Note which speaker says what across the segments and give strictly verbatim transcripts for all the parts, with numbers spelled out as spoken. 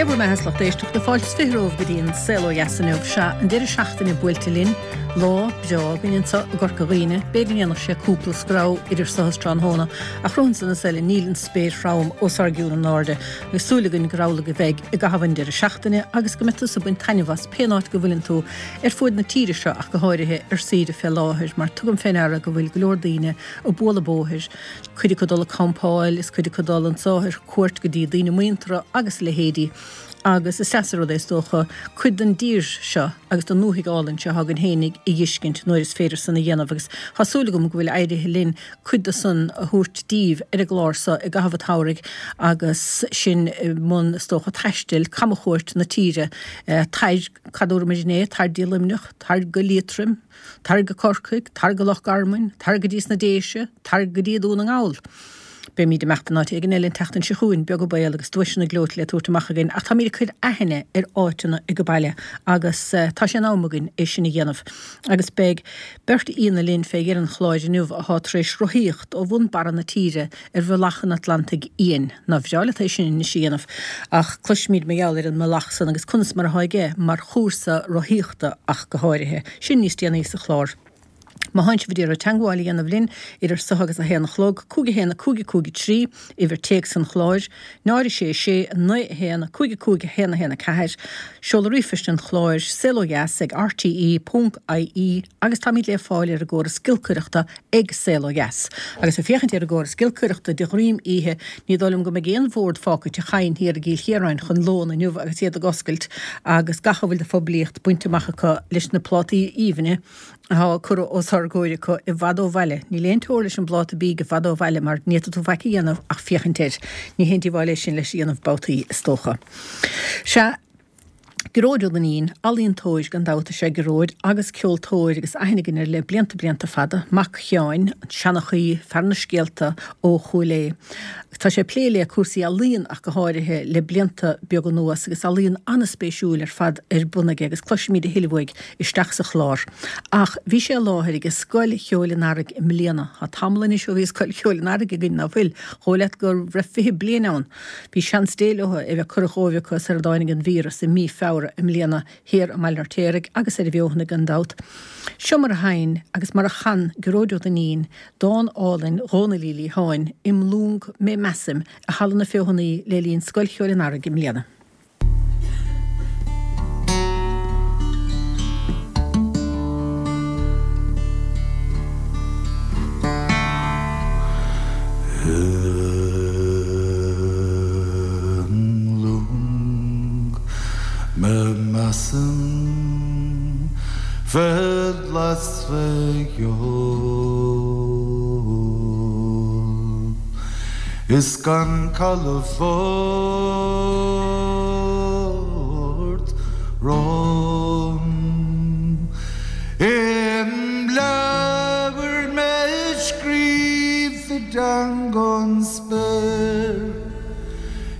Speaker 1: Dé bhur mbeatha, a lucht éisteachta, fáilte is fiche romhaibh go dtí an Saol Ó Dheas inniu. Sea, an deireadh seachtaine buailte linn, lá breá againn anseo i gCorca Dhuibhne, b'fhéidir go ndéanfadh sé cúpla screamh idir seo is tráthnóna, ach romhainn san is eile níl an spéir throm os ár gcionn in airde, agus súil againn gur amhlaidh a bheidh i gcaitheamh an deireadh seachtaine agus go mbeidh tusa ag baint taitneamh as pén áit go bhfuileann tú ar fuaid na tíre seo ach go háirithe ar saoire fé láthair mar tugaim fé ndeara go bhfuil go leor daoine ag bualadh bóthair, cuid acu ag dul ag campáil is cuid acu ag dul anso ar cuairt go dtí daoine muinteartha agus a leithéidí. Agus is deas an rud é is dócha cuid den dtír seo agus den ndúthaigh álainn seo atá againn fhéinig a dh'fheiscint nuair is féidir san a dhéanamh agus tá súil agam go bhfuil éirithe linn cuid de san a thabhairt díbh ar an gclár so i gcaitheamh an tsamhraidh agus sinn i mbun is dócha taistil, camchuairt na tíre, tar, cad a dúramar inné, tar dtí Luimneach, tar go Liatroim, tar go Corcaigh, tar go Loch Garman, tar go dtí sna Déise, tar go dtí Dún na nGall. Beimíd ag imeacht in áit éigin eile an tseachtain seo chugainn, beag an baol, agus duaiseanna gleoite le tabhairt amach againn, ach táimíd ag cur aithne ar áiteanna age baile agus tá sé in am againn é sin a dhéanamh. Agus beidh beirt aíonna linn fé dheireadh an chláir inniu athá tar éis rothaíocht ó bhun barra na tíre ar bhealach an Atlantaigh Fhiáin. Nár bhreá leat é sin anois a dhéanamh? Ach cloisfimíd mar gheall ar an mbealach san agus conas mar athá aige mar chúrsa rothaíochta ach go háirithe. Sin níos déanaí sa chlár. Má thánn sibh ag iarraidh teangmháil a dhéanamh linn, idir so agus a haon a chlog, cúig a haon a cúig a cúig a trí, uimhir téacs an chláir, náid a sé a sé, naoi a haon, cúig a cúig a haon a haon a ceathair, seoladh ríomhphoist an chláir, saolodheas ag rte ponc ie, agus táimid le fáil ar an gcóras giolcaireachta ag Saol Ó Dheas. Agus ag féachaint ar an gcóras giolcaireachta de dhroim oíche, ní dóigh liom go mbeidh aon bhord fágtha i dTigh Chadhain thiar i gCill Chiaráin chun lón inniu agus iad ag oscailt agus gach a bhfuil de phoiblíocht bainte amach acu leis na plátaí aoibhne atá curtha os ár gcomhair acu i bhfad ó bhaile. Níl aon teora leis an bpláta bídh i bhfad ó bhaile mar ní fhéadfaidh tú faic a dhéanamh ach féachaint air. Ní haon díobháil é sin leis a dhéanamh babhtaí, is dócha. Sea, Gearóid Ó Duinnín, ealaíontóir gan dabht is ea Gearóid agus ceoltóir agus aithne againn air le blianta blianta fada, mac Sheáin, an seanchaí, fear na scéalta ó Chúil Aodha. Tá sé ag plé le cúrsaí ealaíon ach go háirithe le blianta beaga anuas agus ealaíon an-spéisiúil ar fad ar bun aige agus cloisfimid a thuilleadh uaidh isteach sa chlár. Ach bhí sé i láthair ag Scoil Cheoil an Earraigh i mbliana. Tá tamall anois ó bhí Scoil Cheoil an Earraigh againn, ná fuil? Dhóigh leat go raibh fiche bliain ann. Bhí seans Dé leo é bheith curtha dhóibh acu sar a dtáinig an víreas i mí Feabhra i mbliana thiar i mBaile an Fheirtéaraigh agus ar an bhFeothanaigh gan dabht. Seo mar a sheinn agus mar a chan Gearóid Ó Duinnín dán álainn Dhónaill Uí Liatháin, Im Lúng Mé Measaim, i Halla na Feothanaí le linn Scoil Cheoil an Earraigh i mbliana.
Speaker 2: Im lúng mé measaim bheith glas fé dheoidh Is gan calafort romham Im leabhar mé scríofa i dteanga an spéir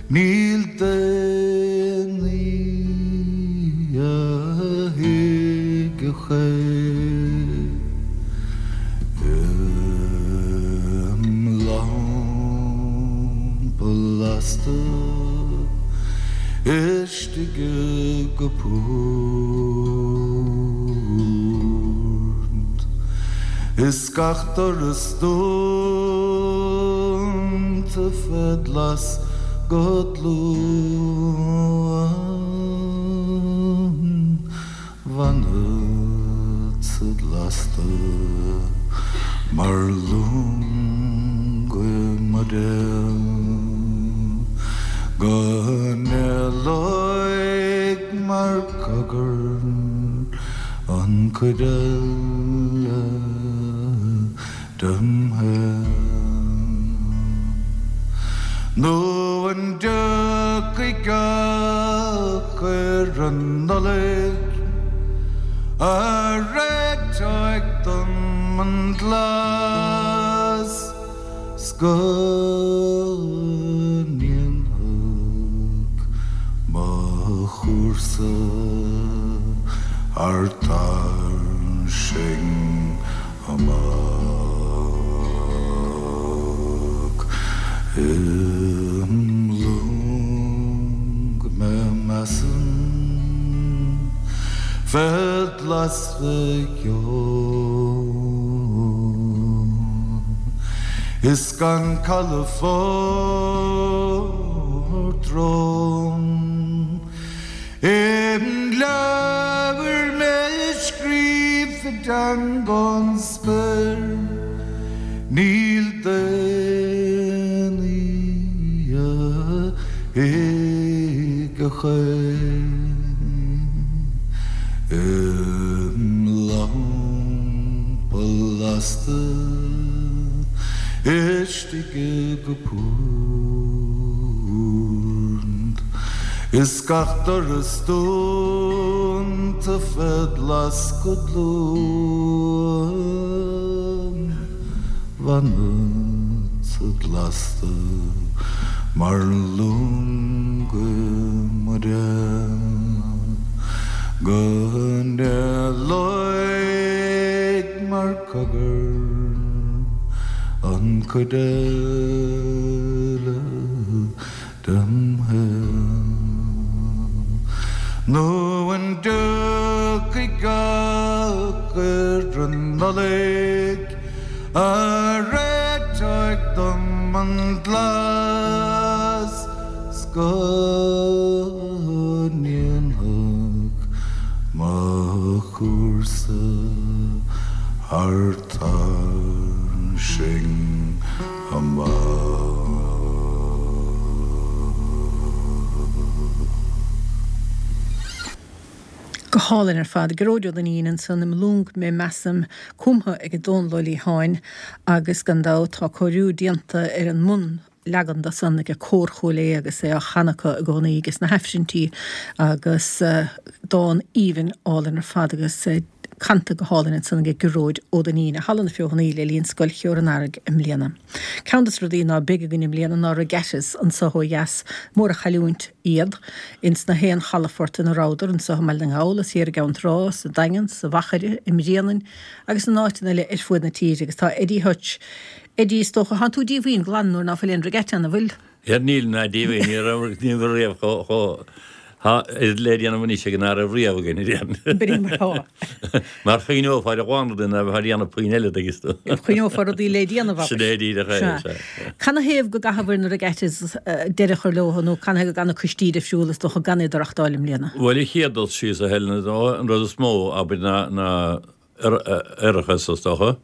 Speaker 2: Níl daonnaí a thuigfeadh é. Im lampa lasta istigh i gcupard Is gach doras dúnta fé ghlas go dlúth. Fanfadsa lasta mar lung i mbuidéal Go n-éalóidh mar cogar an chuid eile dem shaol. Nó an dtiocfaidh gach ar an Nollaig a réiteoidh dom an glas 's go ndéanfadh mo chúrsa thar tairsing amach im lung mé lasta ceol Is gan calafort romham Im leabhar mé scríofa i dteanga an spéir Níl daonnaí a thuig a chuir Im lampa lasta istigh i gcupard Is gach doras dúnta fed lasc go dlúth Fanfadsa lasta mar lung i mairéad Go n-éalóidh mar cogar an chuid eile dem shaol. Nó an dtiocfaidh gach ar an Nollaig a réiteoidh dom an glas 's go ndéanfadh mo chúrsa thar tairsing amach.
Speaker 1: Go hálainn ar fad, Gearóid Ó Duinnín ansan im lung mé measaim cumtha ag Dónal Ó Liatháin agus gan dabht tá cóiriú déanta ar an mbunleagan de san ag Cór Chúil Aodha agus é á chanadh acu i gcónaí agus na hAifrinntí agus dán aoibhinn álainn ar fad agus canta go hálainn ansan ag Gearóid Ó Duinnín i Halla na Feothanaí le linn Scoil Cheoil an Earraigh i mbliana. Ceann de na rudaí ná beidh againn i mbliana ná regattas anso ó dheas, mór an chailliúint iad ins na haon chalafort ina rabhadar anso i mBaile na nGall, is thiar i gCeann Trá, sa Daingean, sa Mhachaire, i mBréanainn agus in áiteanna eile ar fuaid na tíre agus tá Eddie Hutch Eddie, is dócha, thánn tú díomhaoin glan nuair ná fuil aon regatta ann, an bhfuil?
Speaker 3: Níl ná díomhaoin, ní raibh ní raibh riamh chomh chomh Tá le déanamh anois ag an Aire riamh againn a dhéanamh.
Speaker 1: B'in mar atá.
Speaker 3: Mar choinneofar a dhán rudaí ná bheith ag déanamh puinn eile tuigeann tú.
Speaker 1: Choinneofar rudaí le déanamh
Speaker 3: abair. Sin é díreach é, sea.
Speaker 1: Canathaobh go gcaithfear na regattas deireadh a chur leo nó canathaobh go gcaithfidh na coistí difriúla is dócha gan iad a reachtáil i mbliana?
Speaker 3: Bhuel, an chéad dul síos a Helen, an rud is mó abair ná ná árachas is dócha.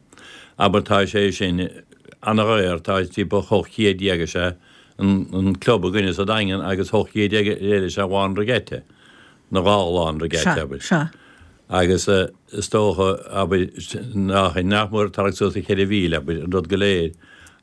Speaker 3: Abair tá sé sin ana-dhaor, tá timpeall ocht chéad déag is ea an club againne sa Daingean agus ocht gcéad déag eile is ea lá an regatta, nó dhá lá an regatta, abair.
Speaker 1: Sea, sea.
Speaker 3: Agus is dócha, abair, nach, nach mór tarraingt suas le ceithre mhíle, abair, an rud go léir.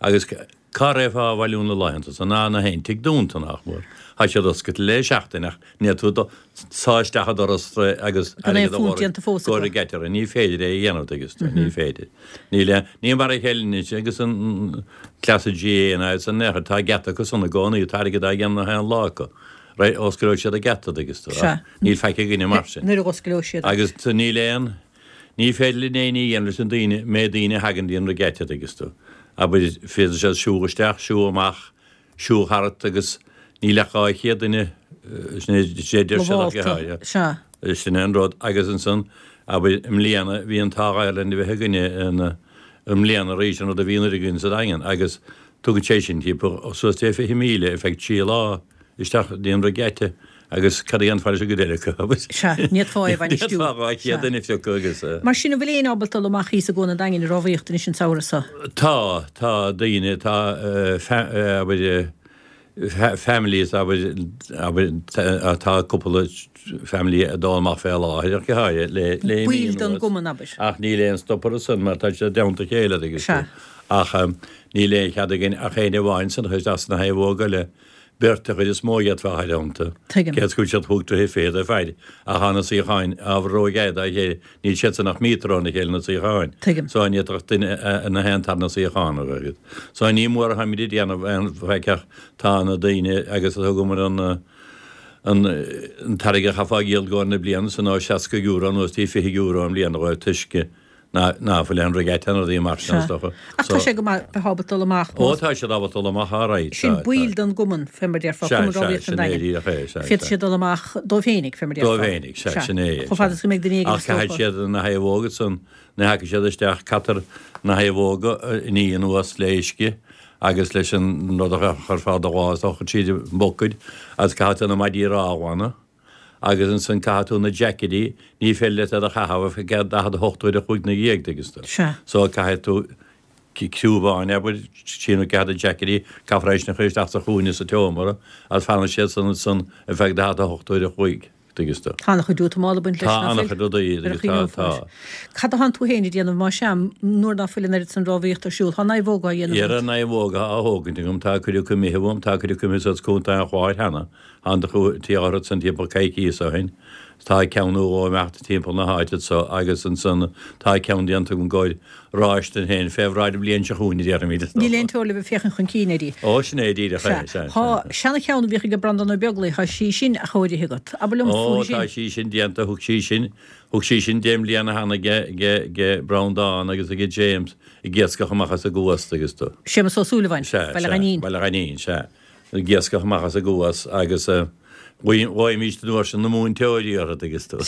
Speaker 3: Agus cá raghfá a bhailiú na laethanta san? Ná na haon tigh dúnta, nach mór. Tá siad oscailte le seachtain ach ní fhéadfá dul sá isteach an doras agus
Speaker 1: Gan aon
Speaker 3: airgead a
Speaker 1: phunt
Speaker 3: lorg
Speaker 1: déanta fós
Speaker 3: go
Speaker 1: acu.
Speaker 3: regatta. Ní féidir é a dhéanamh, tuigeann tú, ní féidir. Níl aon, ní mar a chéile anois agus an cleasa GAA ná iad san aon chor, tá geata acu san i gcónaí, tá airgead á dhéanamh na haon lá acu. Right, osclóidh siad an geata, tuigeann tú,
Speaker 1: Sea.
Speaker 3: ach níl faic againne mar sin.
Speaker 1: Nuair a osclóidh siad.
Speaker 3: Agus níl aon, ní féidir linn aon ní a dhéanamh leis an daoine, méid daoine a thagann dtí an regatta, tuigeann tú. Abair, féadfaidh siad siúl isteach, siúl amach, siúl thart agus níl ach dhá chéad duine, sin é, sé deir siad ach
Speaker 1: Lamhálta, sea.
Speaker 3: Sin é an rud. Agus ansan, abair, i mbliana, bhí an t-ádh air linn a bheith againne ina, i mbliana arís, an rud a bhí anuraidh againn sa Daingean agus tugann sé sin timpeall suas le fiche míle ar feadh trí lá isteach dtí an regatta agus cad a dhéanfá leis an gcuid eile acu, abair?
Speaker 1: Sea, ní fhéadfá é a bhainistiú.
Speaker 3: Ní fhéadfá dhá chéad duine a phiocadh agus.
Speaker 1: Mar sin, an bhfuil éinne ábalta dul amach thíos i gCuan an Daingin ag rámhaíocht anois an samhradh seo?
Speaker 3: Tá, tá daoine, tá, abair, families, abair, abair, tá cúpla family ag dul amach fé láthair ach go háirithe le, le mí
Speaker 1: Baill den
Speaker 3: anuas.
Speaker 1: gcumann, abair.
Speaker 3: Ach níl aon stop orthu san mar tá siad i dteannta a chéile, tuigeann
Speaker 1: Sea.
Speaker 3: tú. Ach níl aon chead againn ach éinne amháin san chuid as na thaobh eile. Beirt an chuid is mó a d'fhéadfá a chur iontu.
Speaker 1: Tuigim.
Speaker 3: Cé is go bhfuil siad chúig troithe fichead ar fad, ach tá na suíocháin ábhar róghearr dá chéile, níl siad san ach míotar óna chéile na suíocháin.
Speaker 1: Tuigim.
Speaker 3: So ní fhéadfadh duine na haon tarna suíochán a bheith agat. So ní mór atháimid ag déanamh aon faic ach tá na daoine agus thugamar an an an t-airgead a chaithfeá a dhíol i gcomhair na bliana san ó seasca euro anuas dtí fiche euro i mbliana dhóibh toisc ná ná fuil aon regatta nó rudaí mar sin is dócha.
Speaker 1: Ach tá sé go maith bheith ábalta dul amach.
Speaker 3: Ó tá siad ábalta dul amach alright.
Speaker 1: Sin baill den gcumann fé mar déarfá, Cumann Rámhaíochta an Daingin. Féadfaidh siad dul amach dóibh féinig fé mar déarfá.
Speaker 3: Dóibh féinig, sea, sin é.
Speaker 1: Chomh fada is go mbeidh duine éigin
Speaker 3: is dócha. Ach caithfidh siad na naomhóga san, nuair a thagann siad isteach, caithfear na naomhóga a ní anuas le uisce agus leis an rud a chuirfeá do dhá is dócha tríd an mbucaeid agus caithfidh tú na maidí reá a ghlanadh. Agus ansan caithfidh tú na jaicéidí, ní féidir leat iad a chaitheamh ar feadh daichead a hocht uair a chloig ina dhiaidh, tuigeann tú.
Speaker 1: Sea.
Speaker 3: So caithfidh tú crúbáin, abair, trí nó ceathair de jaicéidí, caithfear é sin a chur isteach sa chúinne sa tseomra agus fanann siad san ansan ar feadh daichead a hocht uair a chloig, tuigeann tú.
Speaker 1: Tá an-chuid útamála ag baint leis,
Speaker 3: Tá
Speaker 1: ná fuil?
Speaker 3: an-chuid rudaí,
Speaker 1: Ar a
Speaker 3: tá,
Speaker 1: chuimhneofar.
Speaker 3: tá.
Speaker 1: Cad atánn tú féin ag déanamh, má sea, nuair ná fuil an oiread san rámhaíochta ar siúl? Tá naomhóga á dhéanamh
Speaker 3: Dhera
Speaker 1: agat.
Speaker 3: naomhóga á thógaint agam, tá cuid acu imithe uaim, tá cuid acu imithe suas Contae an Chláir cheana. An tí orthu san timpeall coicíos ó shin. Tá ceann nó dhó imeachta timpeall na háite so agus ansan tá ceann déanta agam i gcomhair ráis dom féin fé bhráid an bhliain seo chugainn a déarfaimid is
Speaker 1: Níl
Speaker 3: dócha.
Speaker 1: aon teora le bheith féachaint chun cinn uirthi.
Speaker 3: Ó sin é díreach é,
Speaker 1: Sea.
Speaker 3: sea,
Speaker 1: Tá
Speaker 3: sea.
Speaker 1: seana-cheann a bhíodh ag Breandán Ó Beaglaoich, tá sí sin athchóirithe agat. Abair liom
Speaker 3: Ó
Speaker 1: fúithi
Speaker 3: tá
Speaker 1: sin.
Speaker 3: sí sin déanta, thug sí sin, thug sí sin deich mbliana cheana age, age, age Breandán agus age James ag iascach amach as an gCuas agus tú.
Speaker 1: Séamus Ó Súilleabháin,
Speaker 3: Sea,
Speaker 1: Baile
Speaker 3: sea,
Speaker 1: Ghainín.
Speaker 3: Baile Ghainín, sea. Ag iascach amach as an gCuas agus ghlaoimís an uair sin na múinteoirí orthu agus tú.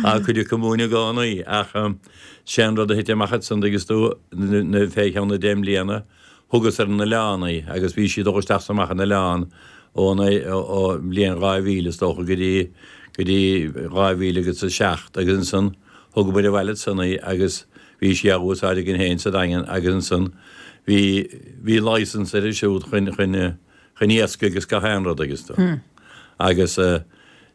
Speaker 3: Á cuid acu múineadh i gcónaí ach sé an rud a thit amach ansan agus tú na fé cheann na deich mbliana thugas ar an oileán í agus bhí sí dul isteach is amach an oileán ón ó bhliain dhá mhíle is dócha go dtí go dtí dhá mhíle agus a seacht agus ansan thugamar abhaile ansan í agus bhí sí á úsáid againn féin sa Daingean agus ansan Bhí, bhí licence uirthi siúd chun, chun, chun iascaigh agus gach aon rud agus tú. Agus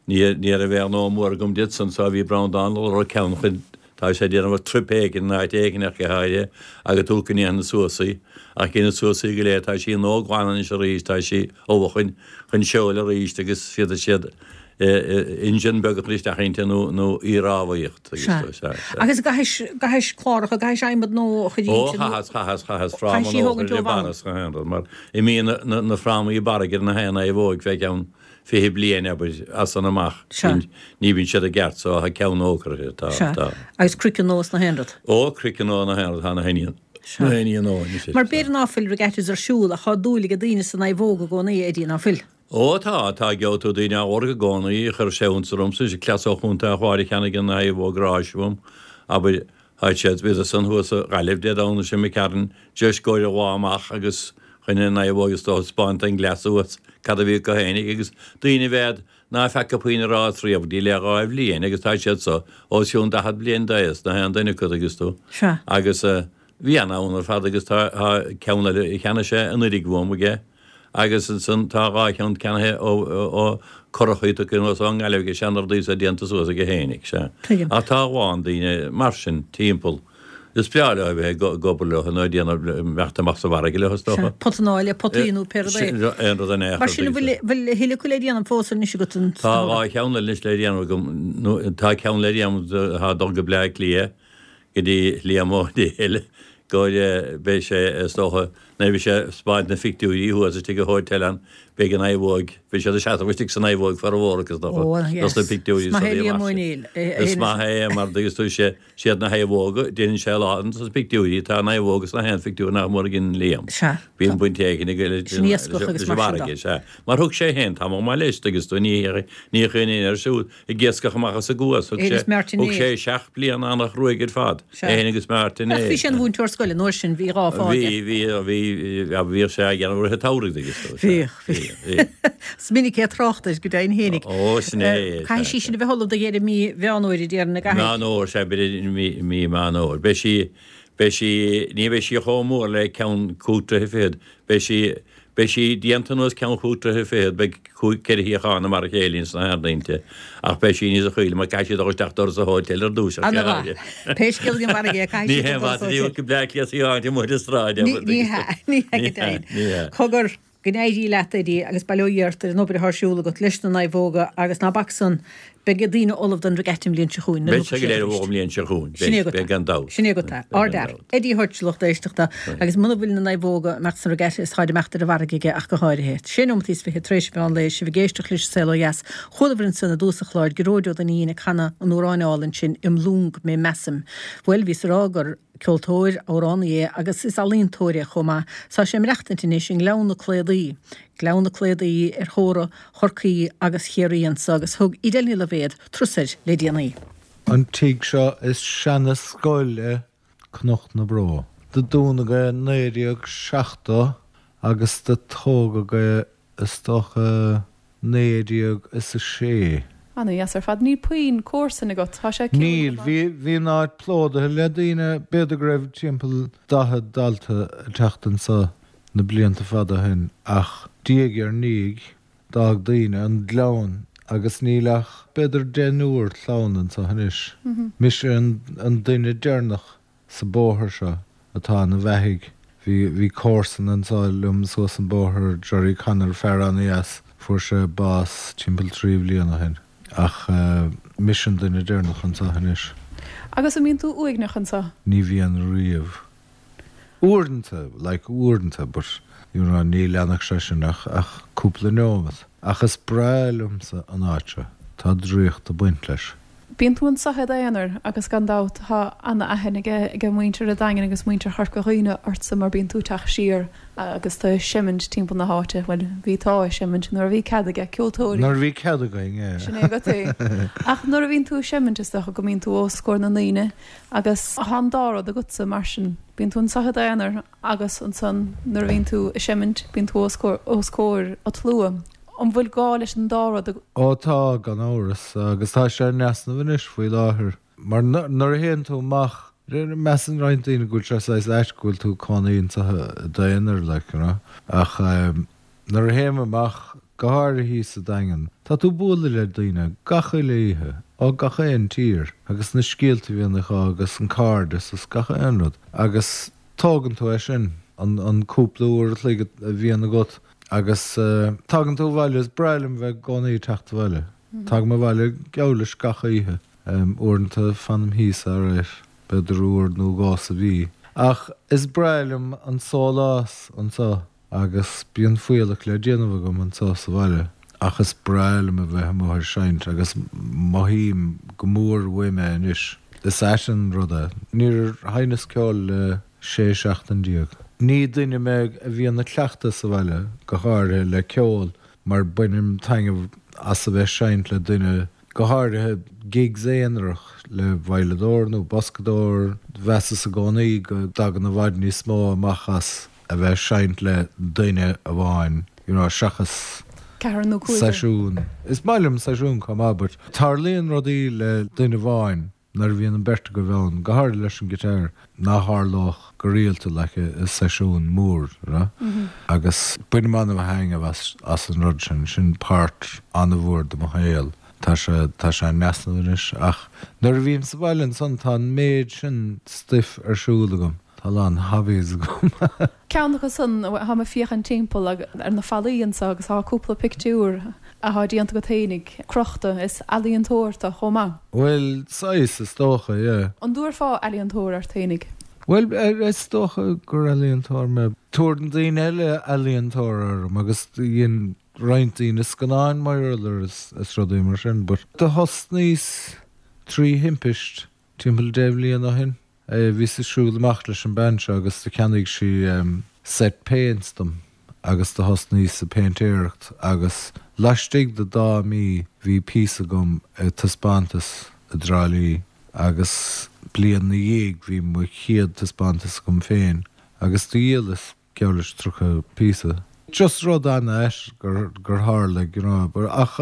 Speaker 3: ní, ní raibh aon ghnó mór agam di ansan so bhí Breandán ag lorg ceann chun, tá sé ag déanamh trip éigin in áit éigin ach go háirithe agus tú go ndéanfaidh suas í. Ach dhéanamh suas í go léir tá sí nua-ghlan anois arís, tá sí ullamh chun, chun seoil arís agus féadfaidh siad, engine beag a chur isteach inti nó nó í a rámhaíocht agus
Speaker 1: Sea.
Speaker 3: sea, sea.
Speaker 1: Agus an gcaithis, gcaithis cláracha, gcaithis adhmad nua a chur
Speaker 3: Ó,
Speaker 1: inti nó
Speaker 3: chaitheas, chaitheas, chaitheas fráma
Speaker 1: chaithis í
Speaker 3: nua a
Speaker 1: thógaint
Speaker 3: chur
Speaker 1: ó
Speaker 3: i
Speaker 1: bhonn?
Speaker 3: barra is gach aon rud, mar imíonn na, na, na frámaí barraigh ar na haon naomhóig fé cheann fiche bliain, abair, as san amach.
Speaker 1: Sea.
Speaker 3: Bíonn, ní bhíonn siad i gceart so tá ceann nua curtha, tá,
Speaker 1: Sea.
Speaker 3: tá.
Speaker 1: Agus craiceann nua is na haon rud.
Speaker 3: Ó, craiceann nua na haon rud, tá na haon,
Speaker 1: Sea.
Speaker 3: na haon nua anois,
Speaker 1: Mar
Speaker 3: sea.
Speaker 1: b'fhéidir ná fuil regattas ar siúl ach tá dúil ag daoine sa naomhóg i gcónaí, Eddie, ná fuil?
Speaker 3: Ó tá, tá, gheobhaidh tú daoine á lorg i gcónaí, chuir sé iontas ormsa, is cleas ó Chontae an Chláir a cheannaigh an naomhóg ráis uaim, abair, tá siad, bhíodar san thuas i Gaillimh Dé Domhnaigh seo imigh tharainn, just i gcomhair an lá amach agus chun an naomhóg is dócha 'spáint don gcleas thuas cad a bhí acu fhéinig agus daoine a bheadh ná feaca puinn rás riamh go dtí le dhá bhliain agus tá siad so os cionn daichead bliain d'aos, na haon duine acu agus tú.
Speaker 1: Sea.
Speaker 3: Agus bhí an-fhonn ar fad agus tá ceann eile a cheannaigh sé anuraidh uaim aige agus ansan tá dhá cheann ceannaithe ó ó curachaí tugtha anuas ón nGaillimh aige seanrudaí so déanta suas aige fhéinig, sea.
Speaker 1: Tuigim.
Speaker 3: Ach tá a lán daoine mar sin timpeall. Is breá leo a bheith ag obair leo nó ag déanamh imeacht amach sa bhfarraige leo is
Speaker 1: Sea,
Speaker 3: dócha.
Speaker 1: potanáil, potaí nó pé rud é.
Speaker 3: Sin aon rud in aon
Speaker 1: Mar
Speaker 3: chor
Speaker 1: sin an bhfuil bhfuil a thuilleadh acu le déanamh fós anois agat an
Speaker 3: Tá dhá cheann eile anois le déanamh agam, nó tá ceann le déanamh atá ag dul go Bleá Cliath go dtí Liam Ó Néill go beidh sé is dócha nuair a bheidh sé ag 'spáint na phictiúirí thuas istigh i Hotel an beidh an naomhóg beidh siad ag seasamh istigh sa naomhóg formhór acu is dócha
Speaker 1: Ó
Speaker 3: dos na
Speaker 1: yes.
Speaker 3: pictiúirí
Speaker 1: Is maith
Speaker 3: so
Speaker 1: é
Speaker 3: bhí
Speaker 1: Liam
Speaker 3: amach
Speaker 1: Ó
Speaker 3: sin.
Speaker 1: Néill.
Speaker 3: Is maith é mar agus tú sé siad na naomhóga déanann sé a lán dos na pictiúirí tá naomhóg sna haon phictiúr nach mór a dhein Liam.
Speaker 1: Sea.
Speaker 3: Bíonn baint éigin aige leis
Speaker 1: Sin iascach agus
Speaker 3: leis an
Speaker 1: mar sin
Speaker 3: bhfarraige
Speaker 1: de.
Speaker 3: sea. Mar thug sé féin tamall maith leis agus tú ní ní chaoin aon ar siúl ag iascach amach as an gCuas. Thug
Speaker 1: É
Speaker 3: sé
Speaker 1: agus Martin
Speaker 3: thug sé
Speaker 1: Éir.
Speaker 3: seacht bliana an-chruaidh ar fad.
Speaker 1: Sea.
Speaker 3: É féin agus Martin
Speaker 1: Ach bhí
Speaker 3: Éir.
Speaker 1: sé ina mhúinteoir scoile an uair sin, bhí dhá phá
Speaker 3: Bhí
Speaker 1: aige.
Speaker 3: bhí bhí bhíodh sé ag déanamh rith an tsamhraidh agus tú. Sea.
Speaker 1: Bhíodh, bhí.
Speaker 3: Bhí, bhí.
Speaker 1: Is minic é ag trácht air go deimhin fhéinig.
Speaker 3: Ó sin é,
Speaker 1: Caithfidh
Speaker 3: sea,
Speaker 1: sí sin a bheith ullamh do dheireadh mí Mheán Fhómhair a déarfainn, an gcaithfidh?
Speaker 3: Meán Fhómhair, sea, b'fhéidir mí mí Meán Fhómhair. Beidh sí beidh sí ní bheidh sí chomh mór le ceann cúig troithe fichead. Beidh sí Beidh sí déanta anuas ceann chúig troithe fichead, beidh cúig, ceithre shuíochán mar a chéile ins na hairde inti, ach beidh sí níos chaoile mar caithfidh sí dul isteach doras an hóitéil ar dtús ach
Speaker 1: Ana mhaith. Pé scéal den bhfarraige é, caithfidh
Speaker 3: Ní
Speaker 1: sí dul
Speaker 3: haon
Speaker 1: doras
Speaker 3: mhaith a
Speaker 1: hóitéil.
Speaker 3: go Bleá Cliath í áit amuigh ar an stráid,
Speaker 1: Ní, ní hea, ní hea go deimhin.
Speaker 3: Ní hea.
Speaker 1: Cogar, go n-éirí leat, Eddie, agus bail ó Dhia ort ar an obair atá ar siúl agat leis na naomhóga agus ná bac san Beidh daoine ullamh don regatta an bhliain seo chugainn.
Speaker 3: Beidh sé go léir ullamh an bhliain seo chugainn.
Speaker 1: Sin é agat.
Speaker 3: Beidh gan dabht.
Speaker 1: Sin é agat. Ardfhear. Eddie Hutch lucht éisteachta agus muna bhfuil na naomhóga ag imeacht san regatta is táid ag imeacht ar an bhfarraige aige ach go háirithe. Sé nóimeataí is fiche tar éis an mheán lae sibh ag éisteacht leis an Saol Ó Dheas. Chualabhair ansan i dtús an chláir Gearóid Ó Duinnín ag canadh an amhráin álainn sin Im Long Mé Measaim. Bhuel bhíos ag rá gur ceoltóir, amhránaí é agus is ealaíontóir é chomh maith. Tá sé ag maireachtaint anois i nGleann na Cladaí. Gleann na Cladaí ar theorainn Chorcaí agus Chiarraí anso agus thug Edel Ní Loibhéad turas air le déanaí.
Speaker 2: An tigh seo is seana scoil é Cnoc na Bró. Do dúnadh é naoi déag seachtó agus do tógadh é is dócha naoi déag is a sé.
Speaker 4: Ana dheas ar fad. Níl puinn comharsan agat. Tá sé ciúin
Speaker 2: Níl.
Speaker 4: chomh maith.
Speaker 2: Bhí, bhí an áit plódaithe le daoine. B'fhéidir go raibh timpeall daichead dalta ag teacht anso na blianta fada ó shin ach diaidh ar ndiaidh d'fhág daoine an gleann agus níl ach b'fhéidir deichniúr clann anso anois. Mise an, an duine deireanach sa bóthar seo atá ina bheathaidh. Bhí, bhí comharsan anso liom suas an bóthar, Gerry Connor, fear ana-dheas, fuair sé bás timpeall trí bhliain ó shin. Ach mise an duine deireanach anso anois.
Speaker 4: Agus an mbíonn tú uaigneach anso?
Speaker 2: Ní bhíonn riamh. Uaireanta, like uaireanta, but you know ní leanfadh sé sin ach ach cúpla neomat. Ach is breá liomsa an áit seo. Tá draíocht ag baint leis.
Speaker 4: Bíonn tú anso i d'aonar agus gan dabht tá ana-aithne aige ag muintir an Daingin agus muintir Chorca Dhuibhne ortsa mar bíonn tú ag teacht siar agus tú ag seimint timpeall na háite, bhuel bhí tú ag seimint nuair a bhí cead aige ceoltóirí.
Speaker 2: Nuair a bhí cead againn, yeah.
Speaker 4: Sin é agat é. Ach nuair a bhíonn tú ag seimint is dócha go mbíonn tú os comhair na ndaoine agus tá an dá rud agatsa mar sin. Bíonn tú anso i d'aonar agus ansan nuair a bhíonn tú ag seimint bíonn tú os comhair an tslua. An bhfuil gá leis an dá rud?
Speaker 2: Ó tá, gan amhras, agus tá sé in easnamh anois faoi láthair. Mar nuair a théann tú amach, measann roinnt daoine go bhfuil sé saghas ait go bhfuil tú ag cónaí anseo i d'aonar, like, you know. Ach nuair a théim amach, go háirithe thíos sa Daingean, tá tú ag bualadh le daoine gach uile oíche, ó gach aon tír, agus na scéalta a bhíonn acu agus an cairdeas is gach aon rud. Agus tógann tú é sin, an an cúpla uair a chloig a bhíonn agat agus tagann tú abhaile, is breá liom bheith i gcónaí ag teacht abhaile. Tagaim abhaile geall leis gach oíche. Uaireanta fanaim thíos alright, b'fhéidir uair nó dhó sa mhí. Ach is breá liom an sólás anseo agus bíonn fuíollach le déanamh agam anseo sa bhaile. Ach is breá liom a bheith amuigh ag seinnt agus mothaím go mór uaim é anois. Is ait an rud é. Níor sheinneas ceol le sé seachtain déag. Ní duine mé a bhíonn ag cleachtadh sa bhaile, go háirithe le ceol, mar bainim taitneamh as a bheith ag seinnt le duine, go háirithe gigs aonarach le veidhleadóir nó boscadóir. Mheasas i gcónaí go dtagann i bhfad níos mó amach as a bheith ag seinnt le duine amháin, you know, seachas
Speaker 4: ceathrar nó cúigear.
Speaker 2: Seisiún. Is maith liom seisiún chomh maith but tarlaíonn rudaí le duine amháin nuair a bhíonn an bheirt agaibh ann, go háirithe leis an guitar, nach tharlódh go rialta like i seisiún mór, you know. Agus bainim an-thaitneamh as as an rud sin, sin páirt an-mhór de mo shaol. Tá sé tá sé in easnamh anois ach nuair a bhím sa bhaile ansan tá an méid sin stuif ar siúl agam. Tá a lán hobbies agam.
Speaker 4: Ceann acu san, táim ag féachaint timpeall ar na fallaí anseo agus tá cúpla pictiúr atá déanta agat fhéinig crochta. Is ealaíontóir tú chomh maith.
Speaker 2: Bhuel, saghas, is dócha, yeah.
Speaker 4: An dtabharfá ealaíontóir ort fhéinig?
Speaker 2: Bhuel, is dócha gur ealaíontóir mé. Tabharann daoine eile ealaíontóir orm agus dhein roinnt daoine scannáin mar gheall air is rudaí mar sin but do thosnaíos trí thimpist timpeall deich mbliana ó shin. Bhíos ag siúl amach leis an bean seo agus do cheannaigh sí set paints dom agus do thosnaíos ag péintéireacht agus laistigh de dá mí bhí píosa agam ag taispeántas i dTrá Lí agus bliain 'na dhiaidh bhí mo chéad taispeántas agam féin agus do dhíolas geall leis tríocha píosa. Just rud an-ait gur gur tharla you know but ach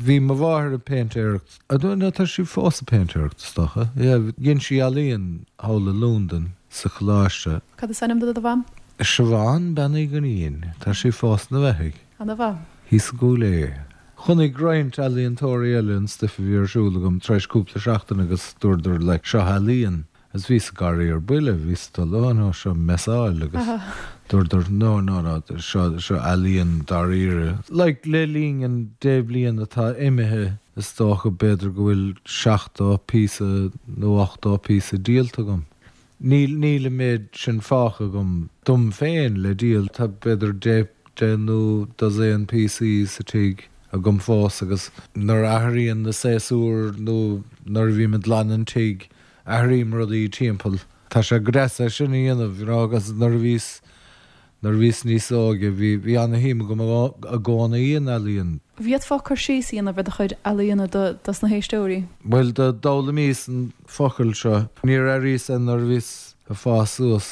Speaker 2: bhí mo mháthair ag péintéireacht, I don't know tá sí fós ag péintéireacht is dócha, yeah dhein sí ealaíon thall i Londain sa choláiste.
Speaker 4: Cad is ainm do do mham?
Speaker 2: Siobhán Bean Uí Dhuinnín, tá sí fós ina beathaidh.
Speaker 4: Ana-mhaith.
Speaker 2: Thíos i gCúil Aodha. Chonaic roinnt ealaíontóirí eile an stuif a bhí ar siúl agam tar éis cúpla seachtain agus dúradar like seo ealaíon. Agus bhíos ag gáirí ar buile, bhíos ag dul, oh no, seo messáil agus dúradar no, no, no, seo, seo ealaíon dáiríre. Like, le linn an deich bliain atá imithe, Is dócha b'fhéidir go bhfuil seachtó píosa nó ochtó píosa díolta agam. Níl níl an méid sin fágtha agam dom féin le díol, tá b'fhéidir deich deich nó dosaen píosaí sa tigh agam fós agus nuair a athraíonn na séasúir nó nuair a bhím ag glanadh an tigh, athraím rudaí timpeall. Tá sé go deas é sin a dhéanamh, you know, agus nuair a bhíos Nuair a bhíos níos óige, bhí bhí ana-shuim agam i gcónaí in ealaíon.
Speaker 4: Bhféadfá cur síos a dhéanamh ar do chuid ealaíona do dos na héisteoirí?
Speaker 2: Bhuel, d'fhoghlaimíos an focal seo. Níor airíos é nuair a bhíos ag fás suas,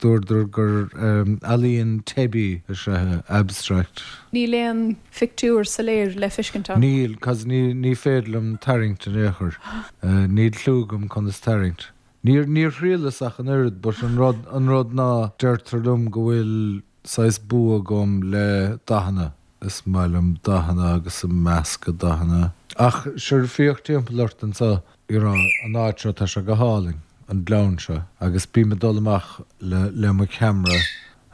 Speaker 2: dúradar gur ealaíon teibí is ea é, abstract.
Speaker 4: Níl aon phictiúr soiléir le feiscint ann?
Speaker 2: Níl, 'cause ní ní féidir liom tarraingt in aon chor. Níl cliú agam conas tarraingt. Níor, níor thriaileas ach an oiread, but an rud, an rud ná, deirtear liom go bhfuil saghas bua agam le dathanna. Is maith liom dathanna agus ag meascadh dathanna. Ach sure, féach timpeall ort anseo, you know, an áit seo, tá sé go hálainn, an gleann seo, agus bím ag dul amach le, le mo cheamara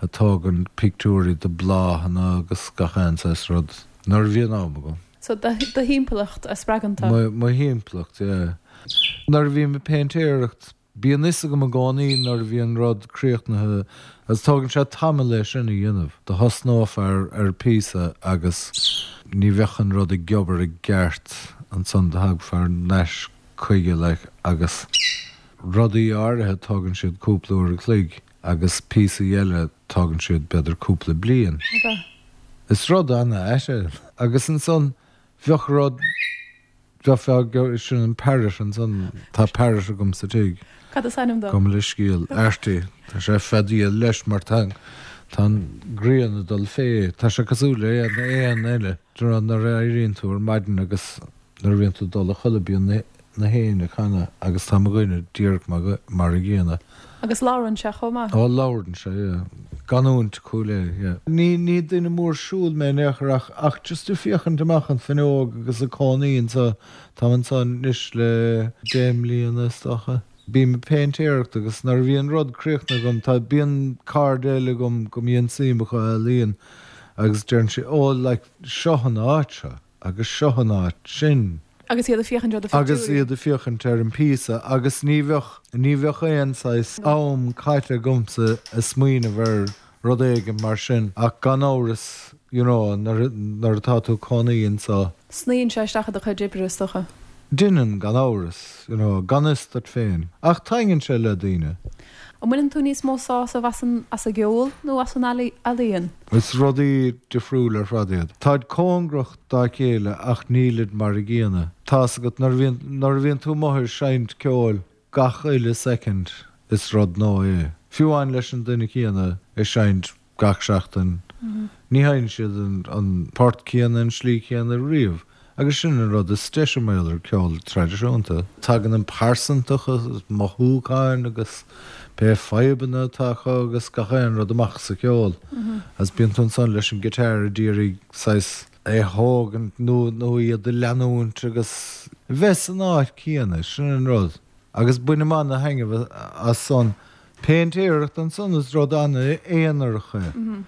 Speaker 2: ag tógaint pictiúirí de bláthanna agus gach aon saghas rud, nuair a bhíonn am agam.
Speaker 4: So do, do thimpeallacht a spreagann tú?
Speaker 2: Mo, mo thimpeallacht, yeah. Nuair a bhím ag péintéireacht, bíonn fhios agam i gcónaí nuair a bhíonn rud críochnaithe agus tógann sé tamall é sin a dhéanamh. Do thosnófá ar, ar phíosa agus ní bheadh an rud ag obair i gceart ansan do thagfá thar n-ais chuige like agus rudaí áirithe tógann siad cúpla uair a chloig agus píosaí eile tógann siad b'fhéidir cúpla bliain. Is rud ana-ait é. Agus ansan bheadh rud, bheifeá, sin an parrot ansan, tá parrot agam sa tigh.
Speaker 4: Cad is ainm dó?
Speaker 2: Gabh mo leithscéal, Artie. Tá sé ag feadaíl leis mar tá, tá an ghrian ag dul fé. Tá sé cosúil le aon éan eile. Do you know, nuair a éiríonn tú ar maidin agus nuair a bhíonn tú ag dul a chodladh bíonn na, na héin ag canadh agus tá mo dhuine díreach mar, mar a gcéanna.
Speaker 4: Agus labhrann sé chomh maith?
Speaker 2: Ó, labhrann sé, yeah. Canúint Chúil Aodha, yeah. Ní, ní duine mór siúil mé in aon chor ach, ach just ag féachaint amach an fuinneog agus ag cónaí anseo, táim anseo anois le deich mbliana is dócha. Bím ag péintéireacht agus nuair a bhíonn rud críochnaithe agam, tá, bíonn cairde eile agam go mbíonn suim acu i ealaíon agus deireann siad, oh like, seo an áit seo agus seo an áit sin.
Speaker 4: Agus iad ag féachaint ar do
Speaker 2: Agus
Speaker 4: phictiúirí.
Speaker 2: iad ag féachaint ar an phíosa agus ní bheadh, ní bheadh aon saghas am caite agamsa ag smaoineamh ar rud éigin mar sin ach gan amhras, you know, nuair, nuair atá tú ag cónaí anseo.
Speaker 4: Sníonn sé isteach i do chuid oibre, is dócha.
Speaker 2: Déanann, gan amhras, you know, gan fhios duit féin. Ach taitníonn sé le daoine.
Speaker 4: An mbaineann tú níos mó sásamh as an as an gceol nó as an ealaíon?
Speaker 2: Is rudaí difriúla ar fad iad. Táid cóngarach dá chéile ach nílid mar a gcéanna. Tá's agat, nuair a bhíonn, nuair a bhíonn tú amuigh ag seinnt ceoil gach uile soicind is rud nua é. Fiú amháin leis an duine céanna ag seinnt gach seachtain, ní sheinneann siad an, an port céanna, an slí chéanna riamh. Agus sin an rud is deise mar gheall ar ceol traidisiúnta. Tagann an pearsantacht agus mothúcháin agus pé fadhbanna atá acu agus gach aon rud amach sa cheol. Agus bíonn tú ansan leis an guitar ag iarraidh saghas é a thógaint nó nó iad a leanúint agus bheith san áit céanna, sin an rud. Agus bainim ana-thaitneamh as san. Péintéireacht ansan is rud ana-aonarach é.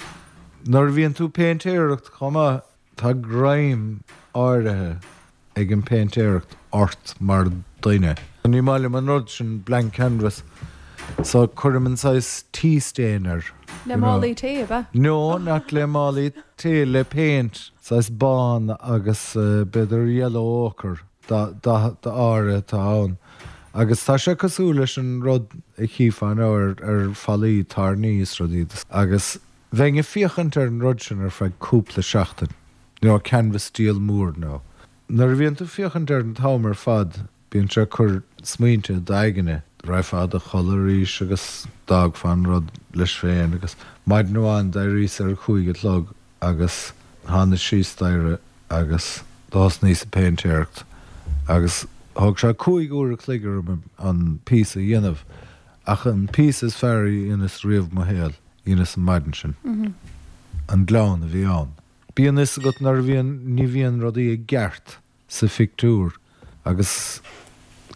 Speaker 2: Nuair a bhíonn tú ag péintéireacht chomh maith, Tá greim áirithe ag an bpéintéireacht ort mar dhuine. Ní maith liom an rud sin, blank canvas, so cuirim an saghas tea stain air,
Speaker 4: Le
Speaker 2: you know.
Speaker 4: málaí tae, ab ea?
Speaker 2: No, not le málaí tae, le péint, saghas bán agus b'fhéidir yellow ochre, dath áirithe atá ann. Agus tá sé cosúil leis an rud a chífeá now ar fallaí tairní is rudaí agus Bheinn ag féachaint ar an rud sin ar feadh cúpla seachtain, you know, canvas diabhal mór now. Nuair a bhíonn tú ag féachaint air an t-am ar fad, bíonn sé ag cur smaointe i d'aigne. Raghfá a chodladh arís agus d'fhágfá an rud leis féin agus maidin amháin d'éiríos ar a cúig a chlog agus thánas síos staighre agus do thosnaíos ag péintéireacht agus thóg sé cúig uair a chloig orm an píosa a dhéanamh ach an píosa is fearr a dheineas riamh mo shaol. Dheineas an maidin sin. An gleann a bhí ann. Bíonn fhios agat nuair a bhíonn, ní bhíonn rudaí i gceart sa phictiúr agus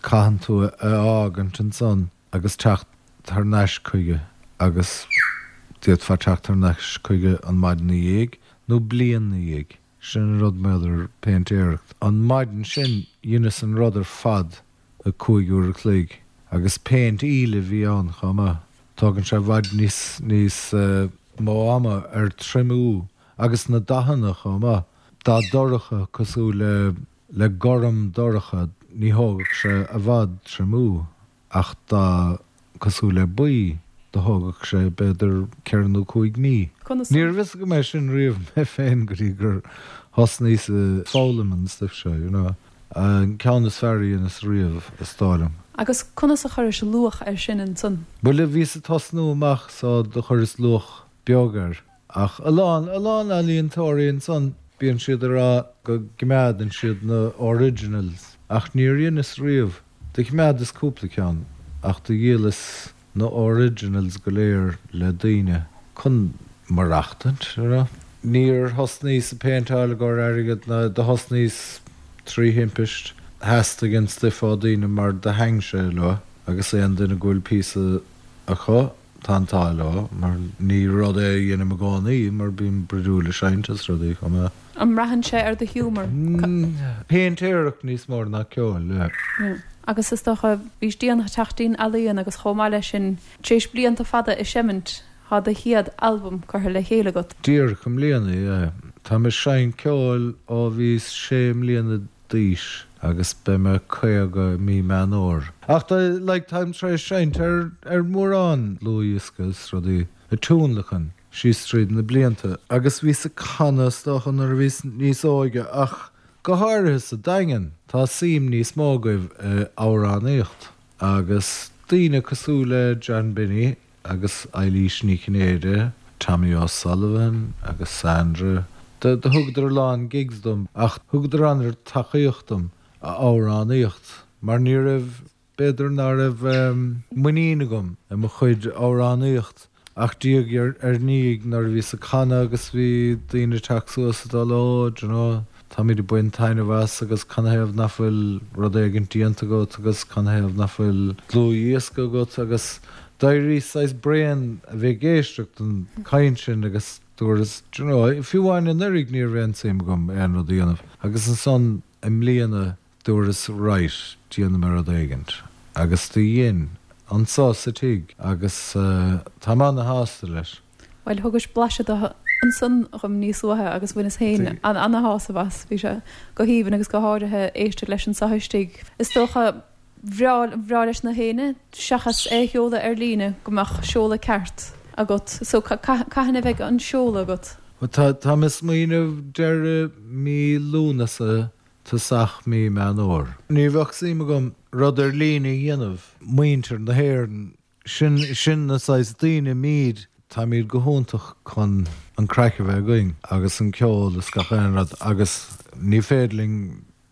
Speaker 2: caitheann tú é a fhágaint ansan agus teacht thar n-ais chuige agus d'fhéadfá teacht thar n-ais chuige an maidin 'na dhiaidh nó bliain 'na dhiaidh. Sin an rud mar gheall ar péintéireacht. An maidin sin dheineas an rud ar fad i cúig uair a chloig agus péint íle a bhí ann chomh maith. Tógann sé i bhfad níos níos mó ama ar triomú agus na dathanna chomh maith. Dath dorcha cosúil le le gorm dorcha ní thógfadh sé i bhfad triomú ach dath cosúil le buí do thógfadh sé b'fhéidir ceithre nó cúig mí.
Speaker 4: Conas
Speaker 2: Ní raibh fhios agam é sin riamh mé féin go dtí gur thosnaíos ag foghlaim an stuif seo, you know. An ceann is fearr a dheineas riamh, is dóigh liom.
Speaker 4: Agus conas a chuiris luach air sin ansan?
Speaker 2: Bhuel, bhíos ag tosnú amach so do chuireas luach beag air. Ach a lán, a lán ealaíontóirí ansan, bíonn siad ag rá go gcoimeádann siad na originals. Ach níor dheineas riamh. Do choimeádas cúpla ceann, ach do dhíolas na originals go léir le daoine chun maireachtaint, you know. Níor thosnaíos ag péinteáil i gcomhair airgead ná do thosnaíos trí thimpist. Theastaigh an stuif ó daoine mar do thaitin sé leo agus aon duine go bhfuil píosa acu, tá an t-ádh leo mar ní rud é a dheinim i gcónaí mar bím brúidiúil ag seinnt is rudaí chomh maith.
Speaker 4: An mbraitheann sé ar do ghiúmar?
Speaker 2: Péintéireacht níos mó ná ceol, yeah.
Speaker 4: Agus is dócha, bhís déanach teacht dtí'n ealaíon agus chomh maith leis sin, tar éis blianta fada ag seimint, tá do chéad albam curtha le chéile agat.
Speaker 2: Díreach i mbliana, yeah. Táim ag seinnt ceoil ó bhíos sé mbliana d'aois agus beidh mé caoga i mí Meán Fhómhair. Ach tá, like, táim tar éis seinnt ar, ar mhórán dlúthdhiosca is rudaí ag tionlacan síos tríd na blianta agus bhíos ag canadh is dócha nuair a bhíos níos óige ach go háirithe sa Daingean tá suim níos mó agaibh i amhránaíocht agus daoine cosúil le John Binny agus Eilís Ní Chinnéide, Tommy O'Sullivan agus Sandra. Do thugadar a lán gigs dom ach thugadar an-tacaíocht dom a amhránaíocht mar ní raibh, b'fhéidir ná raibh muinín agam i mo chuid amhránaíocht ach diaidh ar ndiaidh nuair a bhíos ag canadh agus bhí daoine ag teacht suas ag dul oh do you know táimid ag baint taitneamh as agus canathaobh nach bhfuil rud éigin déanta agat agus canathaobh nach bhfuil dlúthdhiosca agat agus d'éiríos saghas bréan a bheith ag éisteacht don chaint sin agus dúras do you know fiú amháin anuraidh ní raibh aon tsuim agam aon rud a dhéanamh agus ansan i mbliana dúras right déanfaidh mé rud éigint agus do dhein anso sa tigh agus táim ana-shásta leis.
Speaker 4: Bhuel thugais blaiseadh de ansan dhom níos luaithe agus bhaineas féin ana-shásamh as. Bhí sé go haoibhinn agus go háirithe éisteacht leis anso istigh. Is dócha bhreá bhreá leis na héinne seachas é a sheoladh ar líne go mbeadh seoladh ceart agat. So cathain a bheidh an seoladh agat?
Speaker 2: Bhuel tá tá mé ag smaoineamh deireadh mí Lúnasa tosach mí Meán Fhómhair. Ní bheadh suim agam rud ar líne a dhéanamh. Muintir na hÉireann, sin sin na saghas daoine muid, táimid go hiontach chun an craic a bheith againn agus an ceol is gach aon rud agus ní féidir linn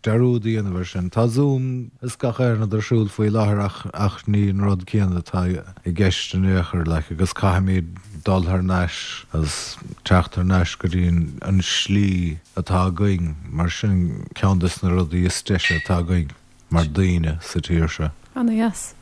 Speaker 2: dearúd a dhéanamh air sin. Tá Zoom is gach aon rud ar siúl faoi láthair ach ach ní an rud céanna atá i gceist in aon chor like agus caithfimid dul thar n-ais agus teacht thar n-ais go dtí an slí atá againn mar sin ceann des na rudaí is deise atá againn mar daoine sa tír seo.
Speaker 4: Ana-dheas.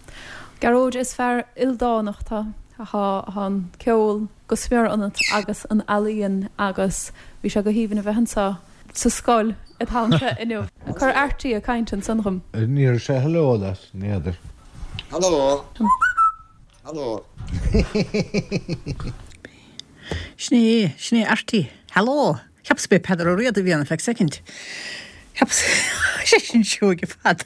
Speaker 4: Gearóid, is fear ildánach tá tá an ceol go smior ionat agus an ealaíon agus bhí sé go haoibhinn a bheith anseo sa scoil an t-am seo inniu. Cuir Artie ag caint ansan dhom.
Speaker 2: Ní raibh sé hello leat, n'fheadar.
Speaker 5: Hello. Hello.
Speaker 1: Sin é, sin é Artie. Hello. Cheapas b'é Peadar Ó Riada a bhí ann ar feadh soicind. Cheapas sé sin seoigh fad.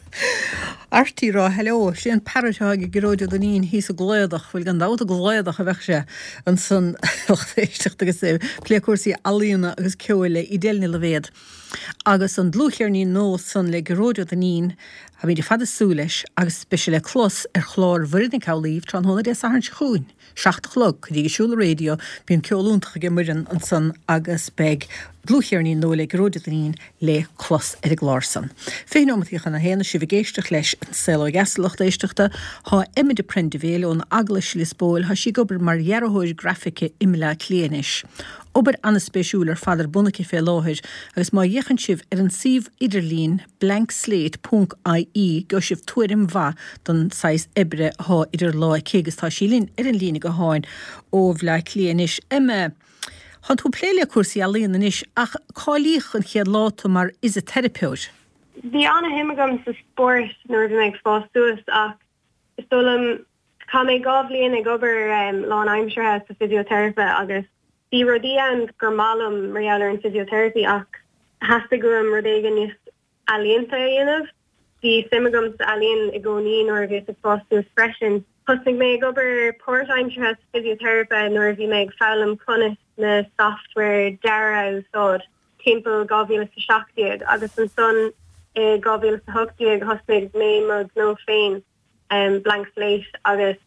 Speaker 1: Artie rá hello, sin an parrot atá ag Gearóid Ó Duinnín thíos i gCladach, bhuel gan dabht i gCladach a bheadh sé ansan lucht éisteachta agus é ag plé cúrsaí ealaíona agus ceoil le Edel Ní Loibhéad. Agus an dlúthcheirnín nua san le Gearóid Ó Duinnín, táimid ar fad ag súil leis agus beidh sé le clos ar chlár Mhuireann Nic Amhlaoibh tráthnóna Dé Sathairn seo chugainn, seacht a chlog, coinnígí súil ar an raidió, bíonn ceol iontach aige Muireann ansan agus beidh dlúthcheirnín nua le Gearóid Ó Duinnín le clos ar an gclár san. Fiche nóimeataí chun a haon is sibh ag éisteacht leis An Saol Ó Dheas a lucht éisteachta. Tá Emma de Prendeville ón Eaglais Lios Póil, tá sí ag obair mar dhearthóir grafaice i mBleá Cliath anois. Obair an-spéisiúil ar fad ar bun aici fé láthair agus má fhéachann sibh ar an suíomh idirlín blankslate ponc ie gheobhaidh sibh tuairim mhaith don saghas oibre atá idir lámha aici agus tá sí linn ar an líne gutháin ó Bhleá Cliath anois. Emma, Tá tú ag plé le cúrsaí ealaíon anois ach cáilíodh an chéad lá tú mar fhisiteiripeoir.
Speaker 6: Bhí an-shuim agam sa spórt nuair a bhí mé ag fás suas ach is dóigh liom chaith mé dhá bhliain ag obair um, lánaimseartha sa physiotherapy agus bhí rudaí ann gur maith liom mar gheall ar an physiotherapy ach theastaigh uaim rud éigin níos ealaíonta a dhéanamh. Bhí suim agam sa ealaíon i gcónaí nuair a bhíos ag fás suas freisin. Thosnaigh mé ag obair páirtaimseartha sa physiotherapy nuair a bhí mé ag foghlaim conas na software dearaidh a úsáid timpeall dhá mhíle is a seacht déag agus ansan i dhá mhíle is a hocht déag thosnaigh mé mo ghnó féin um, Blank Slate agus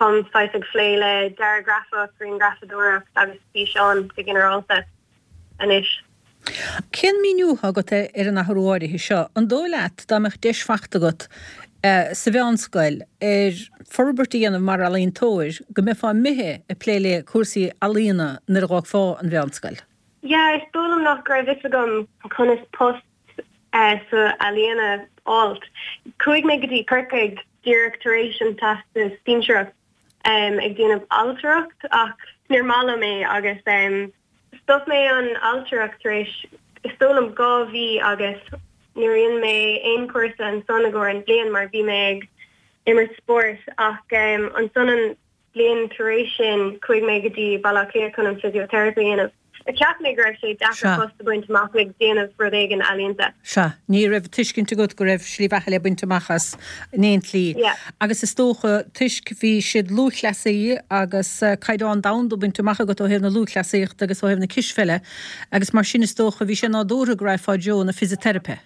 Speaker 6: táim saghas ag plé le dearadh grafach, grianghrafadóireacht agus físeán go ginearálta anois.
Speaker 1: Cén míniú atá agat ar an athrú áirithe seo? An dóigh leat dá mbeadh deis faighte agat sa mheánscoil ar forbairt a dhéanamh mar ealaíontóir go mbeifeá imithe ag plé le cúrsaí ealaíona nuair a dh'fhágfá an mheánscoil?
Speaker 6: Yeah, is dóigh liom nach raibh fhios agam conas post sa ealaíon a fháilt. Chuaigh mé go dtí Corcaigh díreach tar éis an teastas sinsearach um, ag déanamh ailtireacht ach níor mhaith liom é agus um, stop mé an ailtireacht tar éis is dóigh liom dhá mhí agus níor dhein mé aon chúrsa ansan i gcomhair an bliain mar bhí mé ag imirt spórt ach um, ansan an bliain tar éis sin chuaigh mé go dtí Baile Átha Cliath chun an physiotherapy a dhéanamh. Cheap mé go raibh sé deacair post a bhaint amach ag déanamh rud éigin ealaíonta.
Speaker 1: Sea, ní raibh tuiscint agat go raibh slí bheatha le baint amach as in aon tslí. Agus is dócha toisc bhí siad lúthchleasaí agus caighdeán domhanda bainte amach agat ó thaobh na lúthchleasaíochta agus ó thaobh na cispheile agus mar sin is dócha bhí sé nádúrtha go raghfá i dtreo na fisiteiripe.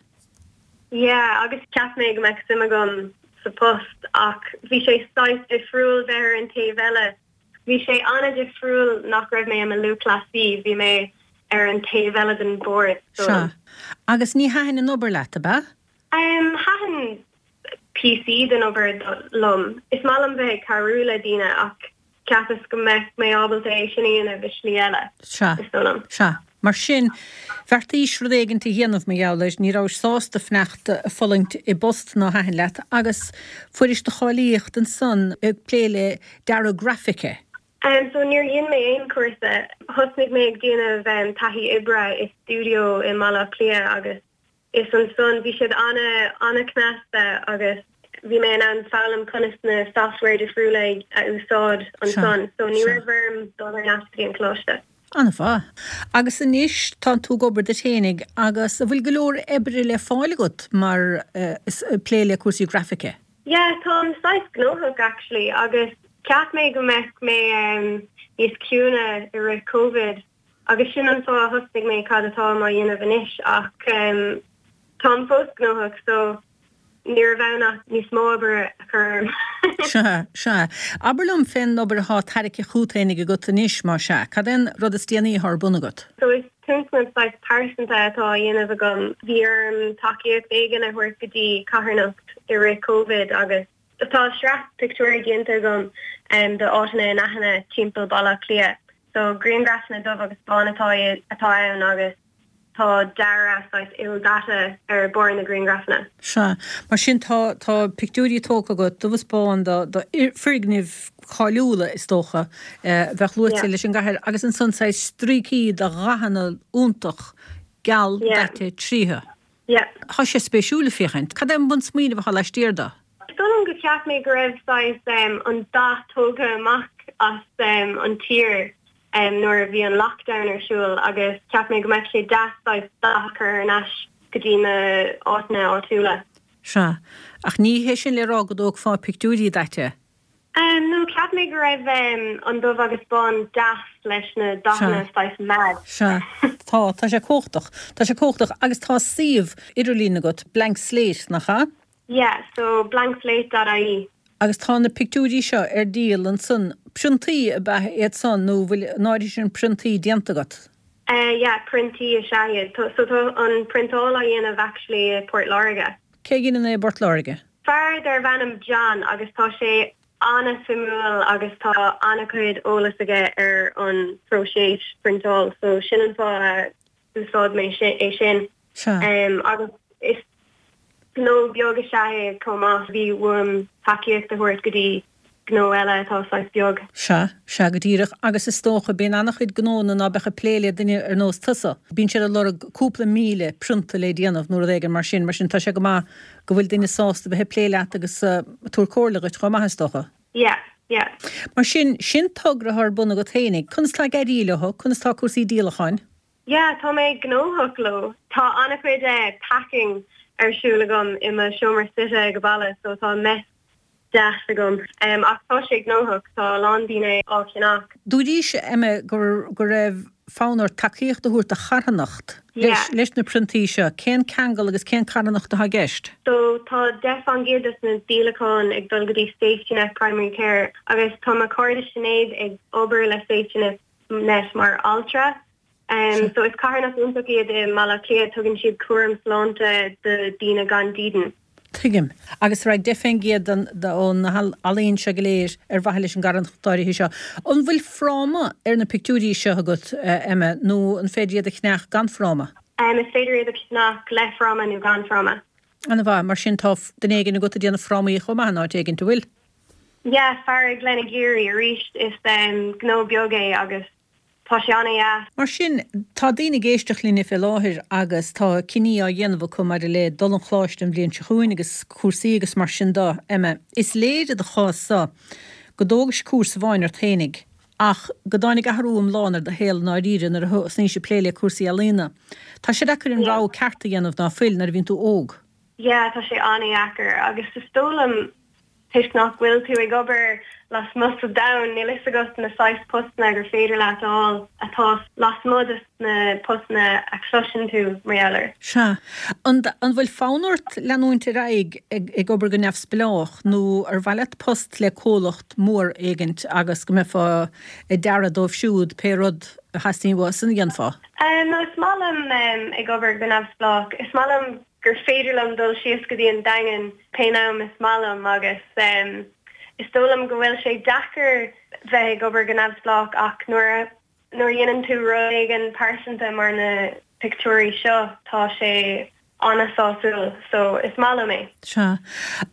Speaker 6: Yeah, agus cheap mé go mbeadh suim agam sa post ach bhí sé saghas difriúil bheith ar an taobh eile. Bhí sé an-difriúil nach raibh mé i mo lúthchleasaí, bhí mé ar an taobh eile den bord.
Speaker 1: Sea. Agus ní thaitin an obair leat, ab ea?
Speaker 6: Um, thaitin píosaí den obair liom. Is maith liom bheith ag cabhrú le daoine ach cheapas go mbeadh mé ábalta é sin a dhéanamh i slí eile.
Speaker 1: Sea.
Speaker 6: Is dóigh liom.
Speaker 1: Sea. Mar sin, bheartaís rud éigin a dhéanamh mar gheall air, ní rabhais sásta fanacht ag fulaingt i bpost nár thaitin leat agus fuairis do cháilíocht ansan ag plé le dearadh grafaice.
Speaker 6: Um, so níor dhein mé aon chúrsa. Thosnaigh mé ag déanamh um, taithí oibre i studio i mBaile Átha Cliath agus is ansan bhí siad ana ana-cneasta agus bhí mé in ann foghlaim conas na software difriúla a úsáid ansan. So ní raibh orm dul ar ais go dtí an coláiste.
Speaker 1: An-mhaith. Agus anois tá tú ag obair duit fhéinig agus an bhfuil go leor oibre le fáil agat mar uh, plé le cúrsaí grafaice?
Speaker 6: Yeah, táim saghas gnóthach actually agus cheap mé go mbeadh mé um, níos ciúine i rith COVID agus sin an fáth a thosnaigh mé cad atá á dhéanamh anois ach um, táim fós gnóthach so ní raibh ann ach níos mó obair a chur orm.
Speaker 1: Sea, sea. Abair liom fén obair atá tarraingthe chugat fhéinig agat anois mar sea. Cad é an rud is déanaí atá ar bun agat?
Speaker 6: So is tionscnamh saghas pearsanta atá á dhéanamh agam. Bhí orm tacaíocht éigin a thabhairt go dtí carthanacht i rith COVID agus tá sraith pictiúirí déanta agam um, de áiteanna inaithne timpeall Baile Átha Cliath. So grianghrafanna dubh agus bán atá atá ann agus tá dearadh saghas ildaite ar barr na grianghrafanna.
Speaker 1: Sea, mar sin tá tá pictiúirí tógtha agat dubh is bán do do foirgnimh cháiliúla is dócha eh, bheadh luaite
Speaker 6: Yeah.
Speaker 1: leis an gcathair agus ansan saghas stríocaí de dhathanna iontach geal
Speaker 6: Yeah.
Speaker 1: daite tríothu.
Speaker 6: Yeah.
Speaker 1: Tá sé spéisiúil le féachaint. Cad é an bunsmaoineamh atá laistiar de?
Speaker 6: Is dóigh liom go cheap mé go raibh saghas um, an dath tógtha amach as um, an tír um, nuair a bhí an lockdown ar siúl agus cheap mé go mbeadh sé deas saghas dath a chur ar ais go dtí na áiteanna áitiúla.
Speaker 1: Sea, ach ní hé sin le rá go dtógfá pictiúirí daite.
Speaker 6: Um, no cheap mé go raibh um, an dubh agus bán deas leis na dathanna saghas mad.
Speaker 1: Sea, tá tá sé cumhachtach, Tá sé cumhachtach agus tá suíomh idirlín agat Blank Slate nach ea?
Speaker 6: Yeah, so blankslate.ie.
Speaker 1: Agus tá na pictiúirí seo ar díol ansan priontaí ab ea iad san nó bhfuil náirí sin priontaí déanta agat.
Speaker 6: Uh, yeah, priontaí is ea iad. So tá an priontáil á dhéanamh actually i Port Láirge.
Speaker 1: Cé a dhéanann é i bPort Láirge?
Speaker 6: Fear darb ainm John agus tá sé an-suimiúil agus tá an-chuid eolas aige ar an próiseas priontáil, so sin an fáth a úsáid mé é sin.
Speaker 1: Sea.
Speaker 6: Um, agus is gnó beag is ea é chomh maith bhí uaim tacaíocht a thabhairt go dtí gnó eile atá saghas beag.
Speaker 1: Sea, sea go díreach. Agus is dócha, bíonn an-chuid gnónna ná beadh ag plé le duine ar nós tusa. Bíonn siad ag lorg cúpla míle prionta le déanamh nó rud éigin mar sin. Mar sin tá sé go maith go bhfuil duine sásta bheith ag plé leat agus ag tabhairt comhairle dhuit chomh maith is dócha.
Speaker 6: Yeah, yeah.
Speaker 1: Mar sin, sin togra atá ar bun agat fhéinig. Conas tá ag éirí leo? Conas tá cúrsaí díolacháin?
Speaker 6: Yeah, tá mé gnóthach leo. Tá an-chuid packing ar siúl agam i mo seomra suite ag baile, so tá mess deas agam. Ach tá sé gnóthach, tá a lán daoine á cheannach.
Speaker 1: Dúraís, Emma, go go raibh fonn ort tacaíocht a thabhairt do charthanacht leis leis na priontaí seo. Cén ceangal agus cén carthanacht atá i gceist?
Speaker 6: So tá deich faoin gcéad des na díolacháin ag dul go dtí Safety Net Primary Care agus tá mo cairde Sinéad ag obair le Safety Net Net mar altra. Um, so is carthanacht iontach iad i mBaile Átha Cliath, tugann siad cúram sláinte do daoine gan dídean.
Speaker 1: Tuigim. Agus raghaidh deich faoin gcéad ón ealaín seo go léir ar mhaithe leis an gcarthanacht áirithe seo. An bhfuil fráma ar na pictiúirí seo agat, Emma, nó an féidir iad a cheannach gan fráma?
Speaker 6: Um, is féidir iad a cheannach le fráma nó gan fráma.
Speaker 1: An-mhaith. Mar sin tá duine éigin agat ag déanamh frámaí chomh maith in áit éigin, an bhfuil?
Speaker 6: Yeah, fear i Gleann Geary arís is um, gnó beag é agus tá sé an-dheas.
Speaker 1: Mar sin, tá daoine ag éisteacht linne fé láthair agus tá cinní á dhéanamh acu maidir le dul an choláiste an bhliain seo chugainn agus cúrsaí agus mar sin de. Emma, is léir i do chás-sa go dtógais cúrsa amháin ort fhéinig ach go dtáinig athrú iomlán ar do shaol i ndáiríre nuair a thosnaís ag plé le cúrsaí ealaíona. Tá sé deacair an rogha ceart a dhéanamh ná fuil nuair a bhíonn tú óg.
Speaker 6: Yeah, tá sé an-dheacair agus is dóigh liom toisc nach bhfuil tú ag obair lasmuigh sa domhan, níl fhios agat na saghas postanna gur féidir leat a fháil atá lasmuigh de na postanna a chloiseann tú mar gheall air.
Speaker 1: Sea. An an bhfuil fonn ort leanúint ar aghaidh ag ag obair go neamhspleách nó ar mhaith leat post le comhlacht mór éigint agus go mbeifeá ag dearadh dóibh siúd pé rud a theastaíonn uathu san a dhéanfá?
Speaker 6: No, is maith liom ag obair go neamhspleách. Is maith liom gur féidir liom dul síos go dtí an Daingean pé am is maith liom agus is dóigh liom go bhfuil sé deacair bheith ag obair go neamhspleách ach nuair a nuair a dhéanann tú rud éigin pearsanta mar na pictiúirí seo tá sé an-sásúil so is maith liom é.
Speaker 1: Sea.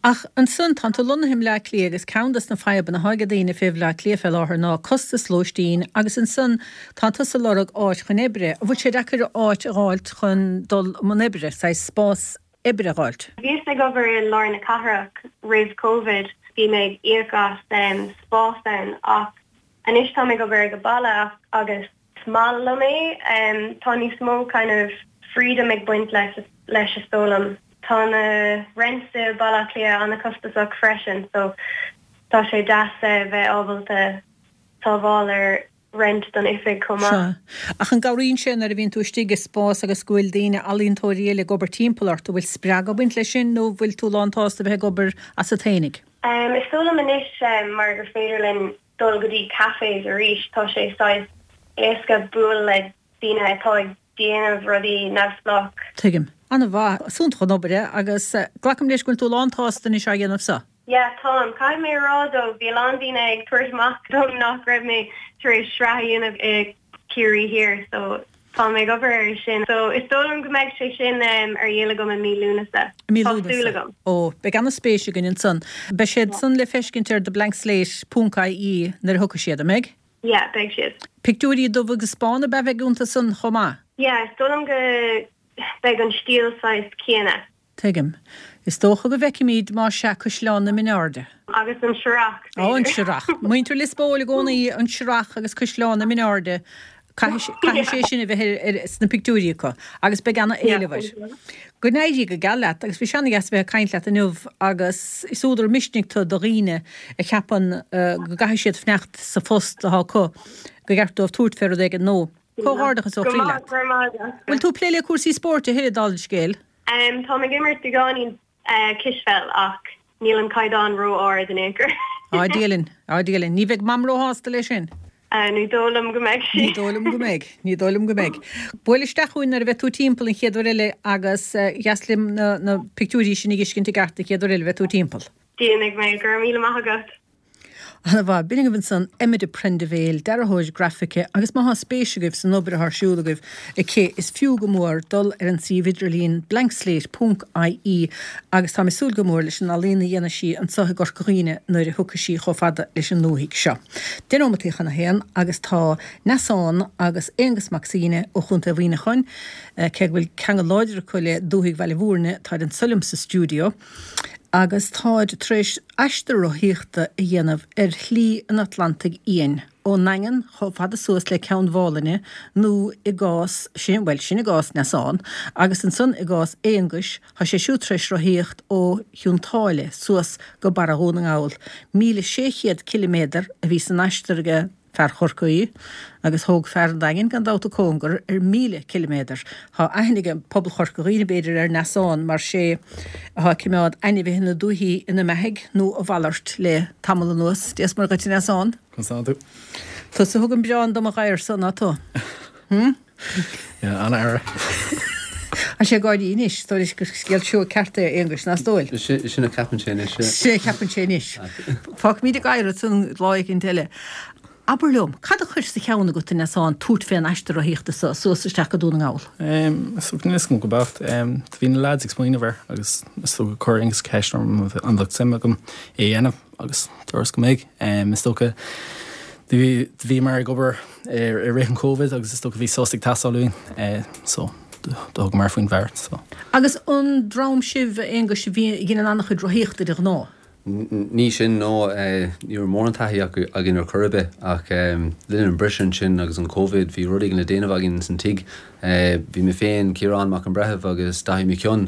Speaker 1: Ach ansan, tánn tú lonnaithe i mBleá Cliath agus ceann des na fadhbanna atá ag daoine fé Bhleá Cliath fé láthair ná costas lóistín agus ansan tá tusa ag lorg áit chun oibre. An bhfuil sé deacair áit a dh'fháilt chun dul i mbun oibre, saghas spás oibre a dh'fháilt?
Speaker 6: Bhíos ag obair i lár na cathrach roimh Covid, bhí mé ag íoc as spás ann ach anois táim ag obair ag baile agus is maith liom é. Tá níos mó kind of freedom ag baint leis leis is dóigh liom. Tá na rents i Baile Átha Cliath an-chostasach freisin so tá sé deas bheith ábalta sábháil ar rent don oifig chomh maith.
Speaker 1: Sea. Ach an gcabhraíonn sé nuair a bhíonn tú istigh i spás agus go bhfuil daoine, ealaíontóirí eile ag obair timpeall ort, an bhfuil spreagadh ag baint leis sin nó an bhfuil tú lánsásta bheith ag obair asat fhéinig?
Speaker 6: Is dóigh liom anois mar gur féidir linn dul go dtí cafés arís, tá sé saghas éasca bualadh le daoine atá ag déanamh rudaí neamhspleách.
Speaker 1: Tuigim. An-mhaith. Is iontach an obair é agus glacaim leis go bhfuil tú lánsásta anois á dhéanamh so.
Speaker 6: Yeah, táim. Caithfidh mé a rá though, bhí a lán daoine ag tabhairt amach dom nach raibh mé tar éis sraith a dhéanamh i Ciarraí Thiar so tá mé ag obair air sin. So is dóigh liom go mbeidh sé sin ar dhíol agam i mí Lúnasa.
Speaker 1: I mí
Speaker 6: Tá súil
Speaker 1: Lúnasa.
Speaker 6: agam.
Speaker 1: Ó, beidh an-spéis againn ansan. Beidh siad san le feiscint ar theblankslate ponc ie nuair a thiocfaidh siad, an mbeidh?
Speaker 6: Yeah, beidh siad.
Speaker 1: Pictiúirí dubh agus bán ab ea a bheidh iontu san chomh maith?
Speaker 6: Yeah, is dóigh liom go beidh an stíl saghas céanna.
Speaker 1: Tuigim. Is dócha go bhfeicfimid más ea Caisleán na Mionairde.
Speaker 6: Agus an Srach,
Speaker 1: Ó, an
Speaker 6: b'fhéidir.
Speaker 1: Srach. Muintir Lios Póil i gcónaí, an Srach agus Caisleán na Mionairde, caithfidh caithfidh sé sin a bheith ar ar sna pictiúirí acu agus beidh ana-éileamh air. Go n-éirí go geal leat agus bhí sé ana-dheas a bheith ag caint leat inniu agus is údar misnigh tú do dhaoine a cheapann go gcaithfidh siad fanacht sa phost atá acu go gceart dóibh tabhairt fé rud éigin nua. Comhghairdeachas ó
Speaker 6: Go
Speaker 1: chroí
Speaker 6: maith,
Speaker 1: leat.
Speaker 6: go raibh maith agat.
Speaker 1: Bhfuil tú ag plé le cúrsaí spóirt a thuilleadh dála an scéil?
Speaker 6: Táim ag imirt beagáinín cispheil ach níl an caighdeán ró-ard in aon chor.
Speaker 1: Á Dia linn, á Dia linn. Ní bheidh Mam róshásta leis sin.
Speaker 6: Ní dóigh liom go mbeidh sí.
Speaker 1: Ní dóigh liom go mbeidh, ní dóigh liom go mbeidh. Buail isteach chugainn nuair a bheidh tú timpeall an chéad uair eile agus dheas liom na na pictiúirí sin a fheiscint i gceart an chéad uair eile a bheidh tú timpeall.
Speaker 6: Déanfaidh mé, go raibh míle maith agat.
Speaker 1: Ana-mhaith. B'in agaibh ansan Emma de Prendeville, dearthóir grafaice, agus má thá spéis agaibh san obair athá ar siúl agaibh aici, is fiú go mór dul ar an suíomh idirlín blankslate ponc ie agus táim ag súil go mór leis an ealaín a dhéanfaidh sí anso i gCorca Dhuibhne nuair a thiocfaidh sí chomh fada leis an ndúthaigh seo. Deich nóimeataí chun a haon agus tá Neasán agus Aonghus Mac Suibhne ó Chontae Mhuineacháin, cé go bhfuil ceangal láidir acu le dúthaigh Bhaile Mhúirne, táid anso liom sa stiúideo agus táid tar éis aistear rothaíochta a dhéanamh ar Shlí an Atlantaigh Fhiáin, ón nDaingean chomh fada suas le Ceann Mhálainne nó i gcás sin, bhuel, sin i gcás Neasán, agus ansan i gcás Aonghuis, tá sé siúd tar éis rothaíocht ó Chionn tSáile suas go Barra Dhún na nGall. Míle sé chéad ciliméadar a bhí san aistear aige fear Chorcaí, agus thóg fear an Daingin gan dabht cóngar ar míle ciliméadar. Tá aithne ag pobal Chorca Dhuibhne b'fhéidir ar Neasán mar sé atá ag coimeád ainmhithe na dúichí ina mbeathaigh nó a mhalairt le tamall anuas. Dia is Muire dhuit a Neasán.
Speaker 7: Conas tá tú?
Speaker 1: Tusa a thug an biorán do mo ghadhar-sa, ná tú? Hm?
Speaker 7: Yeah, an-fhear.
Speaker 1: Tá sé ag gáirí anois, is dóigh leis gur scéal seoigh ceart é, a Aonghuis, nach dóigh?
Speaker 8: Sin a cheapann sé anois.
Speaker 1: Sin a cheapann sé anois. Fágfaimid ag adhradh san lá éicint eile. Abair liom, cad a chuir sa cheann agat, a Neasáin, tabhairt fén aistear rothaíochta so, suas isteach go Dún na nGall?
Speaker 7: Is dócha, níl a fhios agam go beacht. Do bhí na lads ag smaoineamh air agus is dócha chuir Aonghus ceist orm an bheadh suim agam é a dhéanamh agus dúras go mbeadh. Is dócha, do bhíomar ag obair i rith an Covid agus is dócha bhí sos ag teastáil uainn so do thugamar faoin bheart so.
Speaker 1: Agus an dream sibh, a Aonghuis, a bhí a dheineann an-chuid rothaíochta de ghnáth?
Speaker 8: Ní sin, no, ní raibh mórán taithí againn ar chor ar bith ach le linn an briseadh ansin agus an Covid bhí rud éigin le déanamh againn ins an tigh. Bhí mé féin, Ciarán Mac an Bhreithimh agus Daithí Mac Fhionn,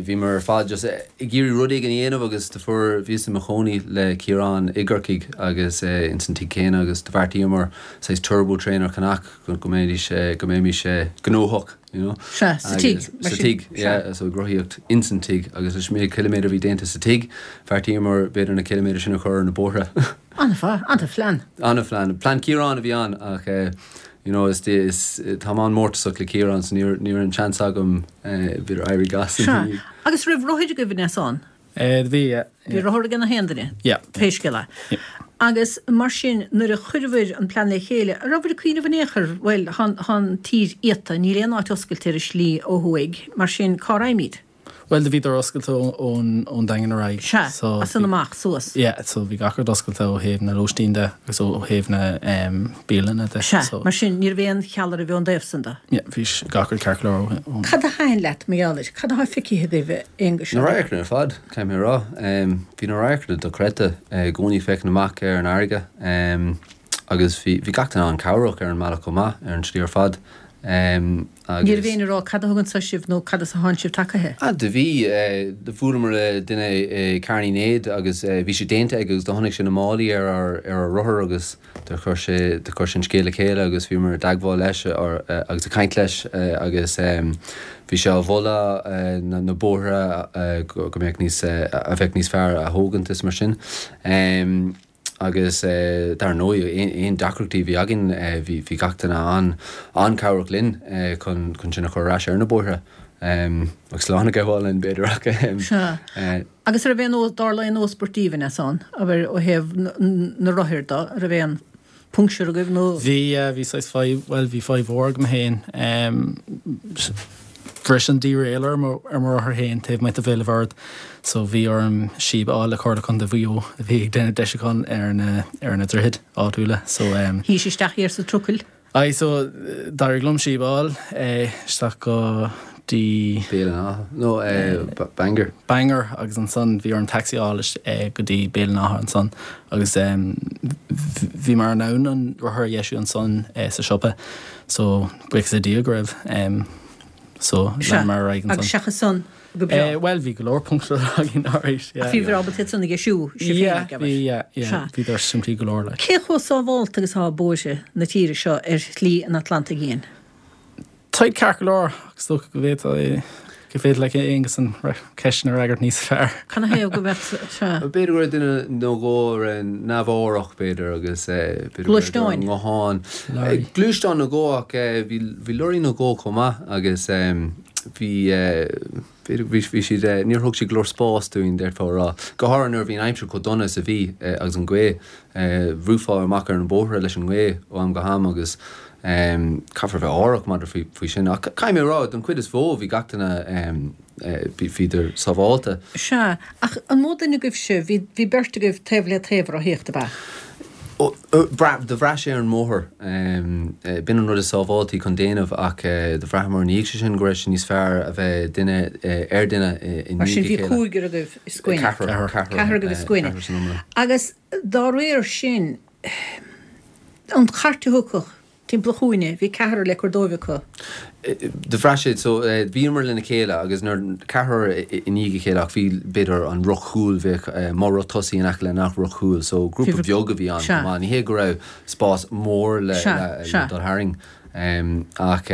Speaker 8: bhíomar ar fad just ag iarraidh rud éigin a dhéanamh agus do fuair, bhíos i mo chónaí le Ciarán i gCorcaigh agus ins an tigh céanna agus do bheartaíomar saghas turbo trainer a cheannach go mbeidís, go mbeimis gnóthach. You know?
Speaker 1: Sea, sa tigh.
Speaker 8: Sa tigh, yeah, so ag rothaíocht ins an tigh agus leis an méid ciliméadar a bhí déanta sa tigh, bheartaíomar b'fhéidir na ciliméadair sin a chur ar na bóithre.
Speaker 1: An-mhaith, an-phlean.
Speaker 8: An-phlean. Plean Ciarán a bhí ann ach eh, you know, is, is, táim an-mhórtasach le Ciarán so ní ní raibh an seans agam eh, b'fhéidir éirí as.
Speaker 1: Sea. Agus raibh rothair agaibh, a Neasáin?
Speaker 7: Bhí, yeah.
Speaker 1: Bhí rothar ag gach aon duine?
Speaker 7: Yeah.
Speaker 1: Pé scéal é. Agus mar sin, nuair a chuireabhair an plean le chéile, an rabhabhair ag cuimhneamh in aon chor, bhuel, thá an tír iata, níl aon áit oscailte ar an slí ó thuaidh, mar sin, cá raghaimid?
Speaker 7: Bhuel, do bhíodar oscailte ón ón Daingean ar aghaidh.
Speaker 1: Sea, as san amach, suas.
Speaker 7: Yeah, so bhí gach rud oscailte ó thaobh na lóistín de agus ó thaobh na bialanna de.
Speaker 1: Sea, mar sin, ní raibh aon cheal oraibh ón dtaobh san de.
Speaker 7: Yeah, bhí gach rud ceart go leor ó.
Speaker 1: Cad a thaitin leat mar gheall air? Cad atá feicthe agaibh, a Aonghuis?
Speaker 8: Na radharcanna ar fad, caithfidh mé a rá. Bhí na radharcanna dochreidte i gcónaí féachaint amach ar an fharraige agus bhí bhí gach duine an-chabhrach ar an mbealach chomh maith, ar an tslí ar fad. Agus.
Speaker 1: Ní raibh éinne ag rá cad a thug anso sibh nó cad as a thánn sibh tagaithe?
Speaker 8: Ah, do bhí. Do bhuaileamar le duine i Carn Uí Néid agus bhí sé déanta aige agus do chonaic sé na málaí ar ár ar ár rothar agus do chuir sé do chuir sé an scéal le chéile agus bhíomar i dteagmháil leis agus ag caint leis agus bhí sé á mholadh na na bóithre go mbeadh níos a bheadh níos fearr a thógaint is mar sin. Agus dar ndóigh aon deacrachtaí a bhí againn bhí bhí gach duine an an-chabhrach linn chun chun sinn a chur ar ais ar na bóithre. Agus slán a ghabháil linn b'fhéidir ach.
Speaker 1: Sea. Agus an raibh aon, dtarla aon íospairt daoibh, a Neasáin, abair ó thaobh na rothair de, an raibh aon puncture agaibh nó?
Speaker 7: Bhí, yeah, bhí saghas fadhb, bhuel bhí fadhb mhór agam féin. Bhris an derailleur ar mo rothar féin taobh amuigh de Bhéal an Mhuirthead so bhí orm síob a fháil le Comhairle Contae Mhaigh Eo a bhí ag déanamh deisiúchán ar na ar na droichid áitiúla so.
Speaker 1: Shuís isteach thiar sa trucail?
Speaker 7: Aye so d'éirigh liom síob a fháil isteach go dtí.
Speaker 8: Béal an Átha nó Bangor.
Speaker 7: Bangor agus ansan bhí orm taxi a fháil go dtí Béal an Átha ansan agus bhí mar in ann an rothar a dheisiú ansan sa siopa so buíochas le Dia go raibh so leanamar ar aghaidh ansan.
Speaker 1: Agus seachas san go breá?
Speaker 7: Bhuel bhí go leor punctures againn alright yeah.
Speaker 1: Ach bhíobhair ábalta iad san a dheisiú sibh féin
Speaker 7: ag abair? Yeah bhí yeah yeah bhíodar simplí go leor like.
Speaker 1: Cé chomh sábhálta agus atá bóithre na tíre seo ar Shlí an Atlantaigh Fhiáin?
Speaker 7: Táid ceart go leor ach is dócha go bhféadfadh go féidir le Aonghus an ceist sin a fhreagairt níos fearr.
Speaker 1: Cad 'na thaobh go mbeadh sea?
Speaker 8: B'fhéidir go raibh duine nó dhó a raibh neamhaireach b'fhéidir agus b'fhéidir go raibh
Speaker 1: Gluaisteáin?
Speaker 8: nguthán. Gluaisteán nó dhó ach bhí bhí lorraí nó dhó chomh maith agus Bhí bhí bhí siad níor thug siad go leor spás dúinn d'fhéadfá a rá. Go háirithe nuair a bhí an aimsir chomh dona is a bhí agus an ghaoth, bhrúfá amach ar an bóthar leis an ngaoth ó am go ham agus caithfear bheith aireach maidir faoi faoi sin. Ach caithfidh mé a rá, don chuid is mhó bhí gach duine bhíodar sábháilte.
Speaker 1: Sea, ach an mó duine agaibhse, bhí bhí beirt agaibh taobh le taobh ag rothaíocht, ab ea?
Speaker 8: Do bhraith sé ar an mbóthar. B'in an rud is sábháiltí chun déanamh ach do bhraitheamar ina dhiaidh sin go raibh sé níos fearr a bheith duine ar duine i
Speaker 1: Mar sin
Speaker 8: ndiaidh a
Speaker 1: bhí
Speaker 8: chéile.
Speaker 1: cúigear agaibh i scuaine.
Speaker 8: Ceathrar.
Speaker 1: Ceathrar agaibh i scuaine.
Speaker 8: Ceathrar san iomlán.
Speaker 1: Agus dá réir sin, an chairt a thiocfadh timpeall an chúinne, bhí ceathrar le cur dóibh acu.
Speaker 8: Do bhraith siad so bhíomar lena chéile agus nuair ceathrar i ndiaidh a chéile ach bhí b'fhéidir an roth cúil bheadh mo roth tosaigh in aice le nach roth cúil so grúpa beag a bhí ann chomh maith. Ní hé go raibh spás mór le le dul tharainn. Ach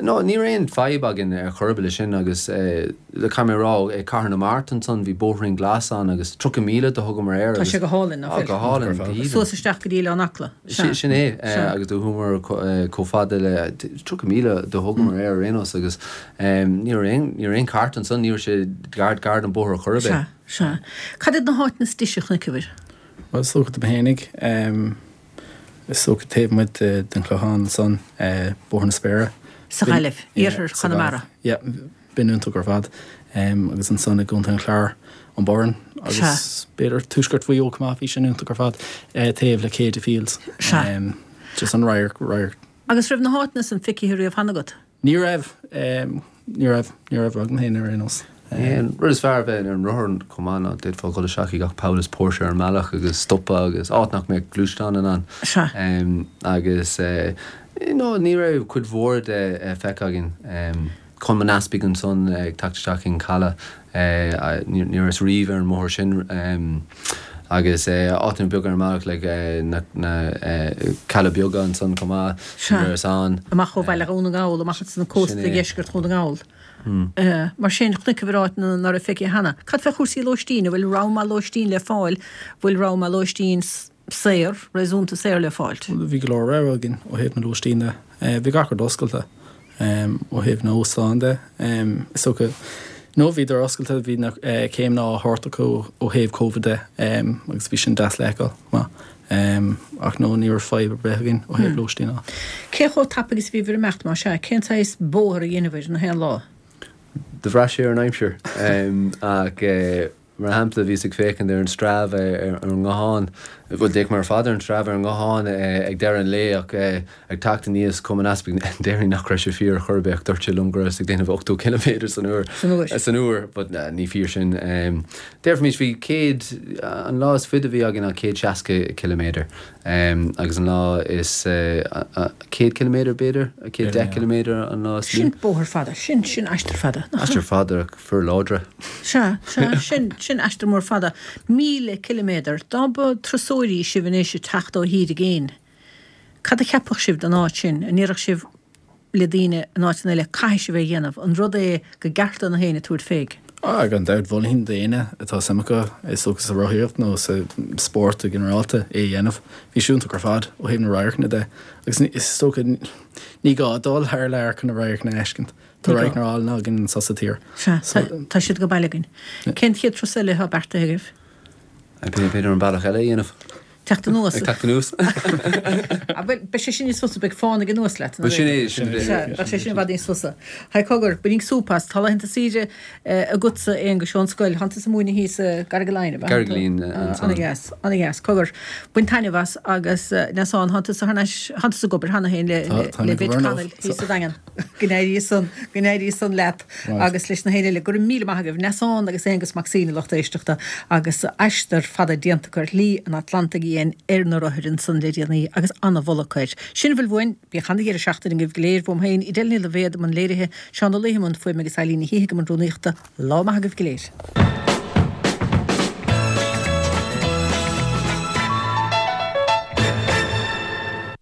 Speaker 8: no ní raibh aon fadhb againn ar chor ar bith leis sin agus caithfidh mé a rá i Cathair na Mart ansan bhí bóithrín glas ann agus tríocha míle do thugamar air
Speaker 1: Tá
Speaker 8: agus
Speaker 1: sé go hálainn, nach
Speaker 8: Á,
Speaker 1: bhfuil?
Speaker 8: go hálainn, go haoibhinn.
Speaker 1: Suas isteach go dtí Oileán Acla. Sea.
Speaker 8: Sin é,
Speaker 1: Sea.
Speaker 8: agus do chuamar chomh fada le tríocha míle do thugamar air ar aon nós agus ní raibh aon, ní raibh aon chairt ansan, ní raibh sé gar, gar don bóthar chor ar bith.
Speaker 1: Sea, sea. Cad iad na háiteanna is deise a chonaiceabhair?
Speaker 7: Bhuel, is dócha dom fhéinig, Is dócha taobh amuigh den Chlochán ansan, Bóthar na Spéire.
Speaker 1: Sa Ghaillimh, iarthar Chonamara.
Speaker 7: Yeah, b'in iontach ar fad. Agus ansan i gContae an Chláir, an Boireann agus b'fhéidir tuaisceart Mhaigh Eo chomh maith, bhí sin iontach ar fad, taobh le Céide Fields. Just an radharc, radharc.
Speaker 1: Agus raibh na háiteanna san feicthe riamh cheana agat?
Speaker 7: Ní raibh. Ní raibh. Ní raibh agam féin ar aon nós.
Speaker 8: An rud is fearr a bheith ar an rothar chomh maith ná d'fhéadfá dhul isteach i gach poll is póirse ar an mbealach agus stopadh agus áit nach mbeadh gluaisteán in ann.
Speaker 1: Sea.
Speaker 8: Agus no ní raibh cuid mhór de feicthe againn. Com an Easpaig ansan ag teacht isteach chuig an caladh, ní rabhas riamh ar an mbóthar sin agus áiteanna beaga ar an mbealach like na na Cealla Beaga ansan chomh maith, ní rabhas ann.
Speaker 1: Amach ó bhaile Dhún na nGall, amach ansan cósta dheisceart Dhún na nGall. Mar sin, chonaiceabhair áiteanna ná raibh feicthe cheana. Cad fé chúrsaí lóistín? An bhfuil rogha maith lóistín le fáil? Bhfuil rogha maith lóistín saor, réasúnta saor le fáilt?
Speaker 7: Bhí go leor rogha againn ó thaobh na lóistín de. Bhí gach rud oscailte ó thaobh na óstán de. Is dócha, nó bhíodar oscailte, bhí na céimeanna á thabhairt acu ó thaobh Covid de agus bhí sin deas le feiceáil chomh maith. Ach no, ní raibh fadhb ar bith againn ó thaobh lóistín de.
Speaker 1: Cé chomh tapaidh is a bhíobhair ag imeacht, más ea? Cén saghas bóthar a dheineabhair na haon lá?
Speaker 8: Do bhraith sé ar an aimsir ach mar shampla bhíos ag féachaint ar an Strava ar an nguthán, bhuel d'fhéach mé ar fad ar an Strava ar an nguthán ag deireadh an lae ach ag teacht aníos Com an Easpaig déarfainn nach raibh sé fíor ar chor ar bith ach dúirt sé liom go rabhas ag déanamh ochtó ciliméadar san uair.
Speaker 1: San uair.
Speaker 8: San uair but ní fíor sin. Déarfaimis bhí céad, an lá is faide a bhí againn ná céad seasca ciliméadar agus an lá is céad ciliméadar b'fhéidir, céad deich ciliméadar an lá is lú.
Speaker 1: Sin bóthar fada, sin, sin aistear fada, nach ea?
Speaker 8: Aistear fada ach fir láidre.
Speaker 1: Sea, sea, sin, sin aistear mór fada. Míle ciliméadar, dá mba turasóirí sibh anois ag teacht ó thír i gcéin, cad a cheapfadh sibh den áit sin? An ndéarfadh sibh le daoine in áiteanna eile, caithfidh sibh é a dhéanamh, an rud é gur ceart do na héinne tabhairt fé?
Speaker 7: Ah, gan dabht, mholfainn d'éinne atá suim acu, is dócha sa rothaíocht nó sa spórt go ginearálta, é a dhéanamh. Bhí sé iontach ar fad ó thaobh na radharcanna de agus is dócha ní gá dul thar lear chun na radharcanna a fheiscint. Tá radharcanna álainn againn anseo sa tír.
Speaker 1: Sea, tá siad go baile againn. Cén chéad turas eile atá beartaithe agaibh?
Speaker 8: B'fhéidir an bealach eile a dhéanamh.
Speaker 1: Teacht anuas.
Speaker 8: Ag teacht anuas.
Speaker 1: Ah, bhuel, beidh sé sin níos fusa, beidh fánaidh anuas leat.
Speaker 8: Bhuel, sin é, sin é.
Speaker 1: Sea, beidh sé sin i bhfad níos fusa. Haigh, cogar, bainigí súp as, tá laethanta saoire agatsa, Aonghus, ón scoil, tánn tusa ag múineadh thíos i gCarraig Laighin, ab ea?
Speaker 8: Carraig Laighin, ansan.
Speaker 1: Ana-dheas, ana-dheas. Cogar, bain taitneamh as agus Neasán, tánn tusa thar n-ais, tánn tusa ag obair cheana féin le, le Bit Connell thíos sa Daingean. Go n-éirí san, go n-éirí san leat agus leis na héinne eile. Go raibh míle maith agaibh, Neasán agus Aonghus Mac Suibhne, lucht éisteachta, agus aistear fada déanta acu ar Shlí an Atlantaigh Fhiáin ar na rothair ansan le déanaí agus ana-mholadh acu air. Sin a bhfuil uainn. Bíodh ana-dheireadh seachtaine agaibh go léir. Uaim féin, Edel Ní Loibhéad i mbun léirithe, Seán Ó Laoi i mbun fuaime agus Eileen Ní Shíthigh i mbun rúnaíochta. Lá maith agaibh go léir.